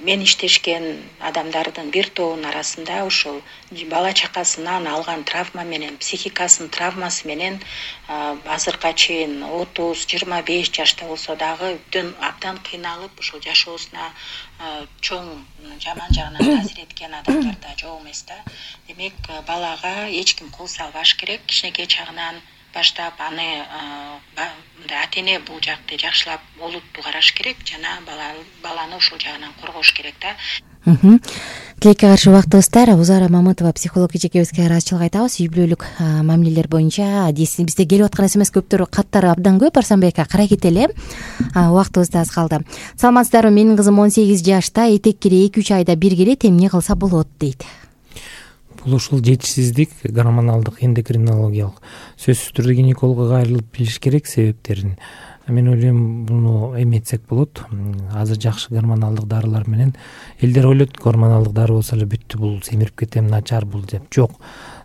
мен иштешкен адамдардын бир тобунун арасында ушул бала чакасынан алган травма менен, психикасынын травмасы менен азыркыга чейин отуз жыйырма беш жашта болсо дагы абдан кыйналып ушул жашоосуна чоң жаман жагынан таасир эткен адамдар да жок эмес да. Демек, балага эч ким кол салбаш керек. Кичинекей чагынан баштап аны мындай ата-эне бул жакты жакшылап олуттуу караш керек жана баланы ушул жагынан коргош керек да. Тилекке каршы убактыбыздар. Узара Мамытова психолог эжекебизге ыраазычылык айтабыз. Үй бүлөлүк мамилелер боюнча бизде келип аткан смс көптөр каттары абдан көп. Арсанбек ака, карай кетели. Убактыбыз да аз калды. Саламатсыздарбы? Менин кызым он сегиз жашта, этеккири эки үч айда бир келет. Эмне кылса болот дейт. Бул ушул жетишсиздик, гормоналдык, эндокринологиялык. Сөзсүз түрдө гинекологго кайрылып билиш керек себептерин. Мен ойлойм, буну эметсек болот. Азыр жакшы гормоналдык дарылар менен элдер ойлойт, гормоналдык дары болсо эле бүттү, бул семирип кетем, начар бул деп. Жок.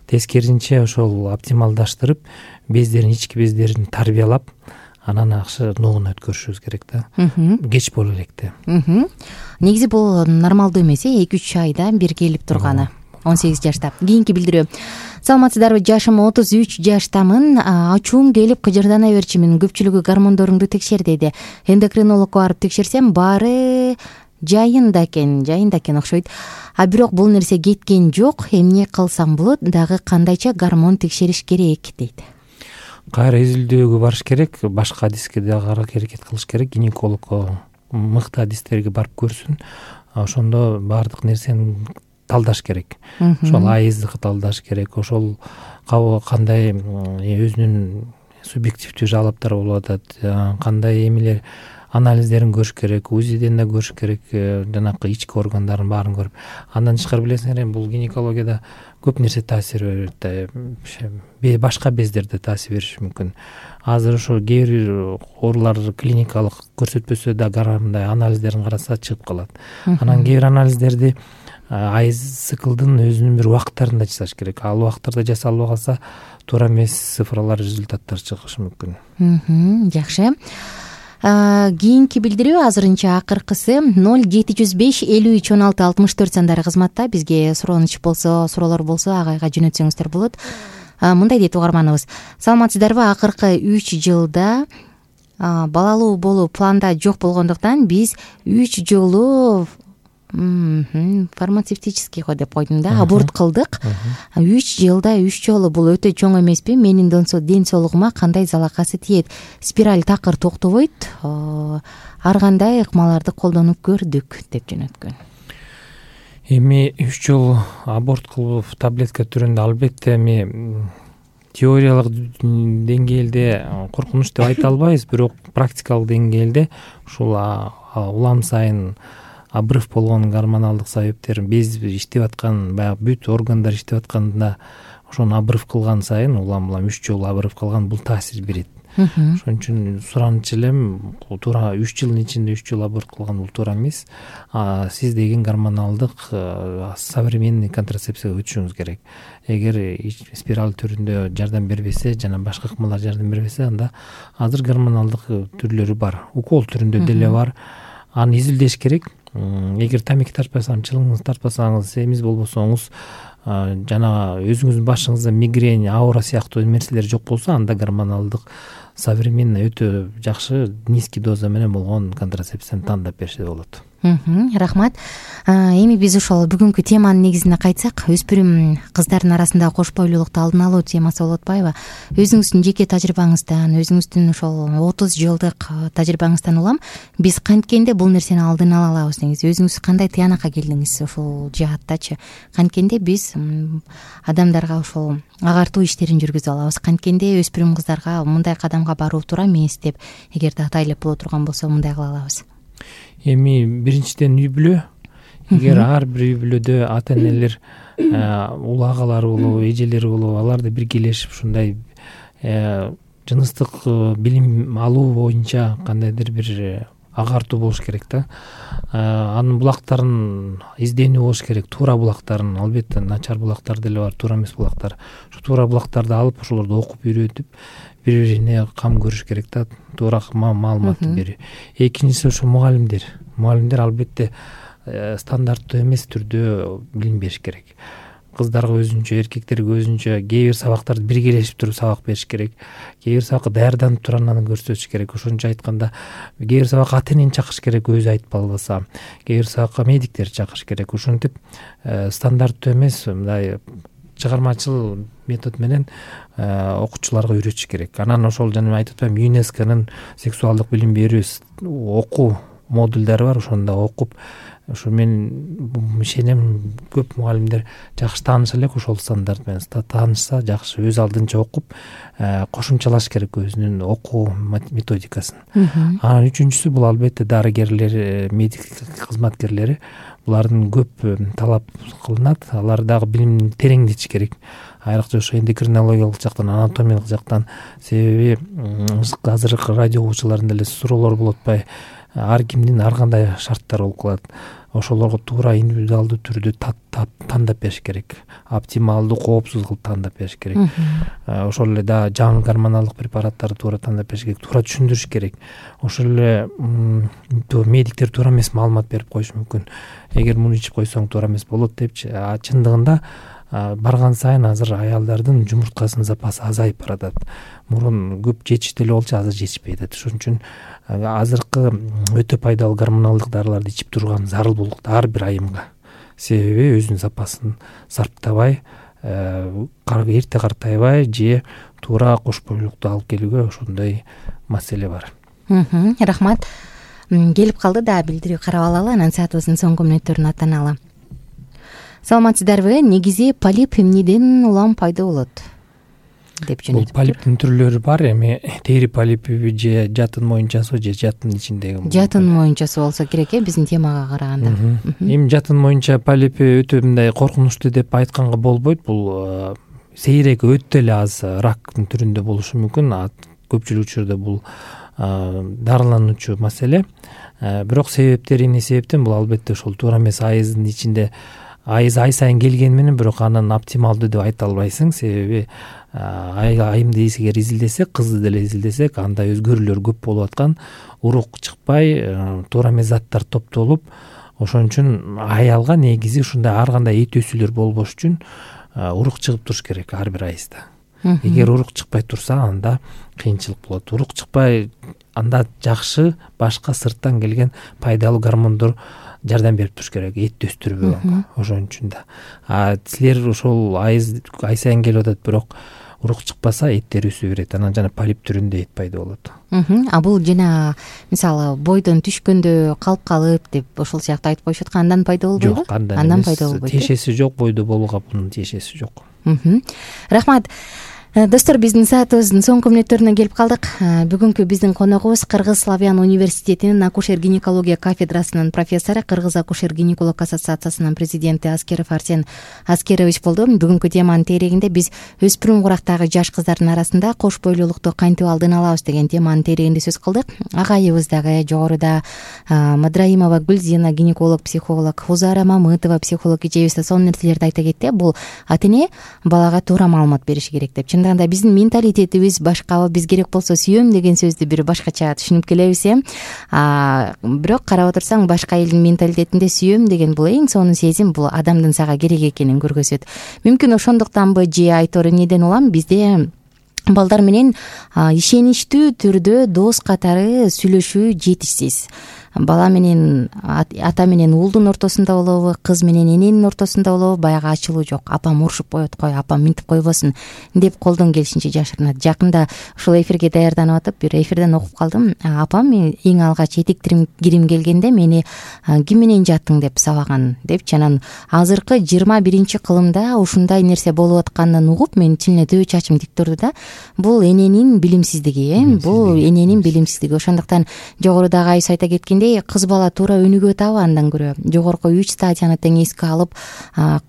Тескерисинче ошол оптималдаштырып, бездерин, ички бездерин тарбиялап, анан акшы ногуна өткөрүшүбүз керек да. Кеч боло электе. Негизи бул нормалдуу эмес, эки үч айда бир келип турганы. он сегиз жашта. Кийинки билдирүү. Саламатсыздарбы? Жашым отуз үч жаштамын. Ачуум келип кыжырдана берчимин. Көпчүлүгү гормондоруңду текшер дейди. Эндокринологко барып текшерсем, баары жайында экен, жайында экен окшойт. А бирок бул нерсе кеткен жок. Эмне кылсам болот? Дагы кандайча гормон текшериш керек дейт. Кайра изилдөөгө барыш керек, башка адиске дагы аракет кылыш керек. Гинекологко мыкты адистерге барып көрсүн. Ошондо баардык нерсени талдаш керек. Ошол айыздыкы талдаш керек. Ошол кандай өзүнүн субъективдүү жалаптары болуп атат, кандай эмелер анализдерин көрүш керек, УЗИден да көрүш керек, жанакы ички органдарын баарын көрүп. Андан тышкары билесиңер, бул гинекологияда көп нерсе таасир берет. Башка бездерде таасир бериши мүмкүн. Азыр ошо кээ бир оорулар клиникалык көрсөтпөсө да мындай анализдерин караса чыгып калат. Анан кээ бир анализдерди айыз циклдын өзүнүн бир убакыттарында жасаш керек. Ал убакыттарда жасалбай калса, туура эмес цифралар, результаттар чыгышы мүмкүн. Жакшы. Кийинки билдирүү азырынча акыркысы ноль жети жүз беш элүү үч он алты алтымыш төрт сандары кызматта. Бизге сурооныч болсо, суроолор болсо агайга жөнөтсөңүздөр болот. Мындай дейт угарманыбыз. Саламатсыздарбы? Акыркы үч жылда балалуу болуу планда жок болгондуктан биз үч жолу фармацевтический го деп койдум да, аборт кылдык. үч жылда үч жолу бул өтө чоң эмеспи? Менин ден соолугума кандай залакасы тиет? Спираль такыр токтобойт. Ар кандай ыкмаларды колдонуп көрдүк деп жөнөткөн. Эми үч жолу аборт кылып таблетка түрүндө албетте эми теориялык деңгээлде коркунуч деп айта албайбыз, бирок практикалык деңгээлде ушул улам сайын обрыв болгон гормоналдык себептер без иштеп аткан баягы бүт органдар иштеп атканда ошону обрыв кылган сайын улам улам үч жолу обрыв кылган бул таасир берет. Ошон үчүн суранчу элем туура үч жылдын ичинде үч жолу аборт кылган бул туура эмес. Сиз деген гормоналдык современный контрацепцияга өтүшүңүз керек. Эгер спираль түрүндө жардам бербесе жана башка ыкмалар жардам бербесе, анда азыр гормоналдык түрлөрү бар, укол түрүндө деле бар. Аны изилдеш керек. Эгер тамеки тартпасаңыз, чылымыңызды тартпасаңыз, семиз болбосоңуз, жана өзүңүздүн башыңызда мигрень, аура сыяктуу нерселер жок болсо, анда гормоналдык современный өтө жакшы низкий доза менен болгон контрацепцияны тандап берсе болот. Рахмат. Эми биз ошол бүгүнкү теманын негизине кайтсак, өспүрүм кыздардын арасындагы кош бойлуулукту алдын алуу темасы болуп атпайбы? Өзүңүздүн жеке тажрыйбаңыздан, өзүңүздүн ошол отуз жылдык тажрыйбаңыздан улам биз канткенде бул нерсени алдын ала алабыз негизи? Өзүңүз кандай тыянакка келдиңиз ушул жааттачы? Канткенде биз адамдарга ошол агартуу иштерин жүргүзүп алабыз. Канткенде өспүрүм кыздарга мындай кадамга баруу туура эмес деп, эгерде атайлап боло турган болсо, мындай кыла алабыз. Эми биринчиден үй бүлө. Эгер ар бир үй бүлөдө ата энелер, ула агалары болобу, эжелери болобу, аларды биргелешип ушундай жыныстык билим алуу боюнча кандайдыр бир агартуу болуш керек да. Анын булактарын изденүү болуш керек, туура булактарын. Албетте начар булактар деле бар, туура эмес булактар. Ушу туура булактарды алып, ошолорду окуп үйрөтүп, бири-бирине кам көрүш керек да, туура маалыматты берүү. Экинчиси ошо мугалимдер. Мугалимдер албетте стандарттуу эмес түрдө билим бериш керек. Кыздарга өзүнчө, эркектерге өзүнчө, кээ бир сабактарды биргелешип туруп сабак бериш керек. Кээ бир сабакка даярданып туруп аны көрсөтүш керек. Ошончо айтканда, кээ бир сабакка ата энени чакырыш керек, өзү айтып албаса. Кээ бир сабакка медиктерди чакырыш керек. Ошентип стандарттуу эмес, мындай чыгармачыл метод менен окуучуларга үйрөтүш керек. Анан ошол жана айтып атпаймынбы, ЮНЕСКОнун сексуалдык билим берүү окуу модулдары бар, ошондо окуп, ошо мен ишенем көп мугалимдер жакшы тааныша элек ошол стандарт менен. Таанышса жакшы, өз алдынча окуп, кошумчалаш керек өзүнүн окуу методикасын. Анан үчүнчүсү бул албетте дарыгерлер, медик кызматкерлери. Булардын көп талап кылынат, алар дагы билимин тереңдетиш керек. Айрыкча ошо эндокринологиялык жактан, анатомиялык жактан. Себеби азыркы радио угуучулардын деле суроолору болуп атпайбы? Ар кимдин ар кандай шарттары болуп калат. Ошолорго туура индивидуалдуу түрдө тандап бериш керек. Оптималдуу, коопсуз кылып тандап бериш керек. Ошол эле да жаңы гормоналдык препараттарды туура тандап бериш керек, туура түшүндүрүш керек. Ошол эле медиктер туура эмес маалымат берип коюшу мүмкүн. Эгер муну ичип койсоң туура эмес болот депчи. Чындыгында барган сайын азыр аялдардын жумурткасынын запасы азайып баратат. Мурун көп жетиш деле болчу, азыр жетишпей атат. Ошон үчүн азыркы өтө пайдалуу гормоналдык дарыларды ичип турган зарыл болуп ар бир айымга. Себеби өзүнүн запасын сарптабай, эрте картайбай же туура кош бойлуулукту алып келүүгө ошондой маселе бар. Рахмат. Келип калды да, билдирүү карап алалы, анан саатыбыздын соңку мүнөттөрүн аттаналы. Саламатсыздарбы? Негизи полип эмнеден улам пайда болот деп жөнөтүп. Бул полиптин түрлөрү бар. Эми тери полипиби же жатын моюнчасы же жатын ичиндеги. Жатын моюнчасы болсо керек э, биздин темага караганда. Эми жатын моюнча полипи өтө мындай коркунучтуу деп айтканга болбойт. Бул сейрек, өтө эле аз рактын түрүндө болушу мүмкүн. Көпчүлүк учурда бул дарылануучу маселе. Бирок себептери эмне себептен? Бул албетте ошол туура эмес айыздын ичинде айыз ай сайын келгени менен, бирок анын оптималдуу деп айта албайсың. Себеби айымды эгер изилдесек, кызды деле изилдесек, анда өзгөрүүлөр көп болуп аткан, урук чыкпай, туура эмес заттар топтолуп, ошон үчүн аялга негизи ушундай ар кандай эт өсүүлөр болбош үчүн урук чыгып туруш керек ар бир айызда. Эгер урук чыкпай турса, анда кыйынчылык болот. Урук чыкпай, анда жакшы башка сырттан келген пайдалуу гормондор жардам берип туруш керек, этти өстүрбөгөнгө. Ошон үчүн да. А силер ошол айыз ай сайын келип атат, бирок урук чыкпаса, эттер өсө берет. Анан жана полип түрүндө эт пайда болот. А бул жана мисалы бойдон түшкөндө калып калып деп ошол сыяктуу айтып коюшат, андан пайда болбойбу? Жок, андан пайда болбойт. Тиешеси жок, бойдо болууга бунун тиешеси жок. Рахмат. Достор, биздин саатыбыздын соңку мүнөттөрүнө келип калдык. Бүгүнкү биздин коногубуз Кыргыз Славян университетинин акушер-гинекология кафедрасынын профессору, Кыргыз акушер-гинеколог ассоциациясынын президенти Аскеров Арсен Аскерович болду. Бүгүнкү теманын терегинде биз өспүрүм курактагы жаш кыздардын арасында кош бойлуулукту кантип алдын алабыз деген теманын терегинде сөз кылдык. Агайыбыз дагы жогоруда Мадраимова Гүлзина гинеколог, психолог, Узара Мамытова психолог эжебиз сонун нерселерди айта кетти. Бул ата эне балага туура маалымат бериши керек деп. Чындагында биздин менталитетибиз башкабы, биз керек болсо сүйөм деген сөздү бир башкача түшүнүп келебиз э. Бирок карап отурсаң, башка элдин менталитетинде сүйөм деген бул эң сонун сезим, бул адамдын сага керек экенин көргөзөт. Мүмкүн ошондуктанбы же айтор эмнеден улам, бизде балдар менен ишеничтүү түрдө дос катары сүйлөшүү жетишсиз. Бала менен ата менен уулдун ортосунда болобу, кыз менен эненин ортосунда болобу, баягы ачылуу жок. Апам урушуп коет, кой, апам минтип койбосун деп колдон келишинче жашырынат. Жакында ушул эфирге даярданып атып, бир эфирден окуп калдым. Апам эң алгач этек кирим келгенде мени ким менен жаттың деп сабаган депчи. Анан азыркы жыйырма биринчи кылымда ушундай нерсе болуп атканын угуп, менин тилине төбө чачым тик турду да. Бул эненин билимсиздиги, э, бул эненин билимсиздиги. Ошондуктан жогоруда агайыбыз айта кеткен кыз бала туура өнүгүп атабы, андан көрө жогорку үч стадияны тең эске алып,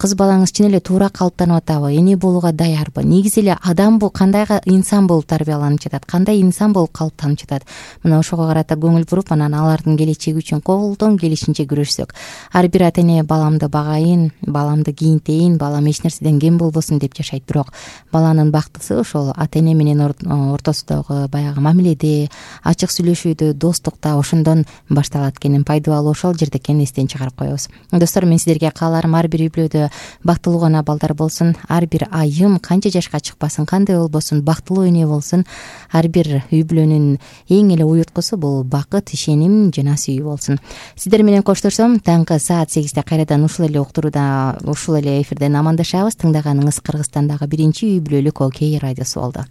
кыз балаңыз чын эле туура калыптанып атабы, эне болууга даярбы, негизи эле адам бул кандай инсан болуп тарбияланып жатат, кандай инсан болуп калыптанып жатат, мына ошого карата көңүл буруп, анан алардын келечеги үчүн колдон келишинче күрөшсөк. Ар бир ата эне баламды багайын, баламды кийинтейин, балам эч нерседен кем болбосун деп жашайт. Бирок баланын бактысы ошол ата эне менен ортосундагы баягы мамиледе, ачык сүйлөшүүдө, достукта, ошондон башталат экенин, пайдалуу ошол жерде экенин эстен чыгарып коебуз. Достор, мен сиздерге кааларым ар бир үй бүлөдө бактылуу гана балдар болсун, ар бир айым канча жашка чыкпасын, кандай болбосун, бактылуу эне болсун. Ар бир үй бүлөнүн эң эле уюткусу бул бакыт, ишеним жана сүйүү болсун. Сиздер менен коштошсом, таңкы саат сегизде кайрадан ушул эле уктурууда, ушул эле эфирден амандашабыз. Тыңдаганыңыз Кыргызстандагы биринчи үй бүлөлүк Окей радиосу болду.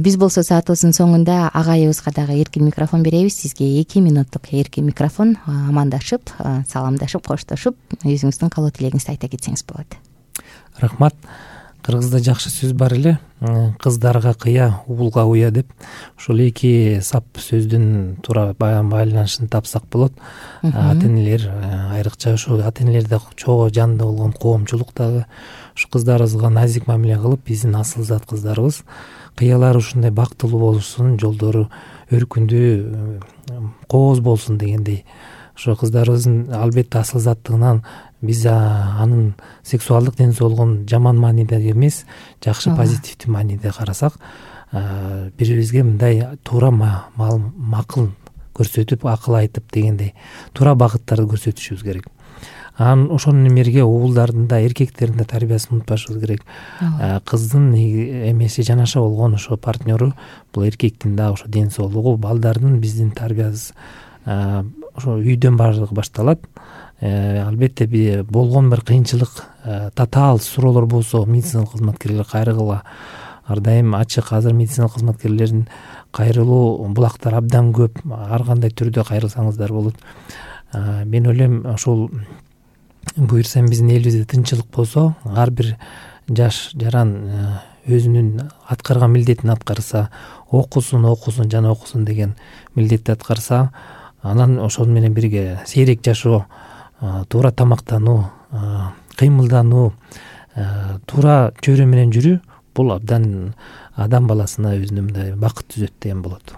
Биз болсо саатыбыздын соңунда агайыбызга дагы эркин микрофон беребиз. Сизге эки минуттук эркин микрофон. Амандашып, саламдашып, коштошуп, өзүңүздүн каалоо тилегиңизди айта кетсеңиз болот. Рахмат. Кыргызда жакшы сөз бар эле, кыздарга кыя, уулга уя деп. Ошол эки сап сөздүн туура байланышын тапсак болот. Ата энелер, айрыкча ошо ата энелерде чогуу жанында болгон коомчулук дагы ушу кыздарыбызга назик мамиле кылып, биздин асыл зат кыздарыбыз кыялары ушундай бактылуу болушун, жолдору өркүндүү, кооз болсун дегендей. Ошо кыздарыбыздын албетте асыл заттыгынан биз анын сексуалдык ден соолугун жаман мааниде эмес, жакшы позитивдүү мааниде карасак, бирибизге мындай туура макыл көрсөтүп, акыл айтып дегендей туура багыттарды көрсөтүшүбүз керек. Анан ошонун эмерге уулдардын да, эркектердин да тарбиясын унутпашыбыз керек. Кыздын эмеси жанаша болгон ошо партнеру бул эркектин да ошо ден соолугу, балдардын биздин тарбиябыз ошо үйдөн баардыгы башталат. Албетте болгон бир кыйынчылык, татаал суроолор болсо медициналык кызматкерлер кайрылгыла ар дайым ачык. Азыр медициналык кызматкерлердин кайрылуу булактар абдан көп, ар кандай түрдө кайрылсаңыздар болот. Мен ойлойм, ошол буюрсам биздин элибизде тынччылык болсо, ар бир жаш жаран өзүнүн аткарган милдетин аткарса, окусун, окусун жана окусун деген милдетти аткарса, анан ошол менен бирге сейрек жашоо, туура тамактануу, кыймылдануу, туура чөйрө менен жүрүү, бул абдан адам баласына өзүнө мындай бакыт түзөт деген болот.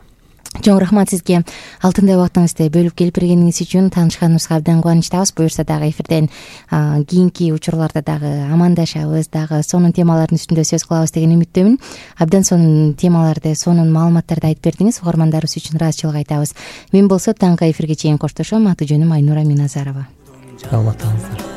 Чоң рахмат сизге алтындай убактыңызды бөлүп келип бергениңиз үчүн. Таанышканыбызга абдан кубанычтабыз. Буюрса дагы эфирден кийинки учурларда дагы амандашабыз, дагы сонун темалардын үстүндө сөз кылабыз деген үмүттөмүн. Абдан сонун темаларды, сонун маалыматтарды айтып бердиңиз. Угармандарыбыз үчүн ыраазычылык айтабыз. Мен болсо таңкы эфирге чейин коштошом. Аты жөнүм Айнура Миназарова. Саламатыңыздар.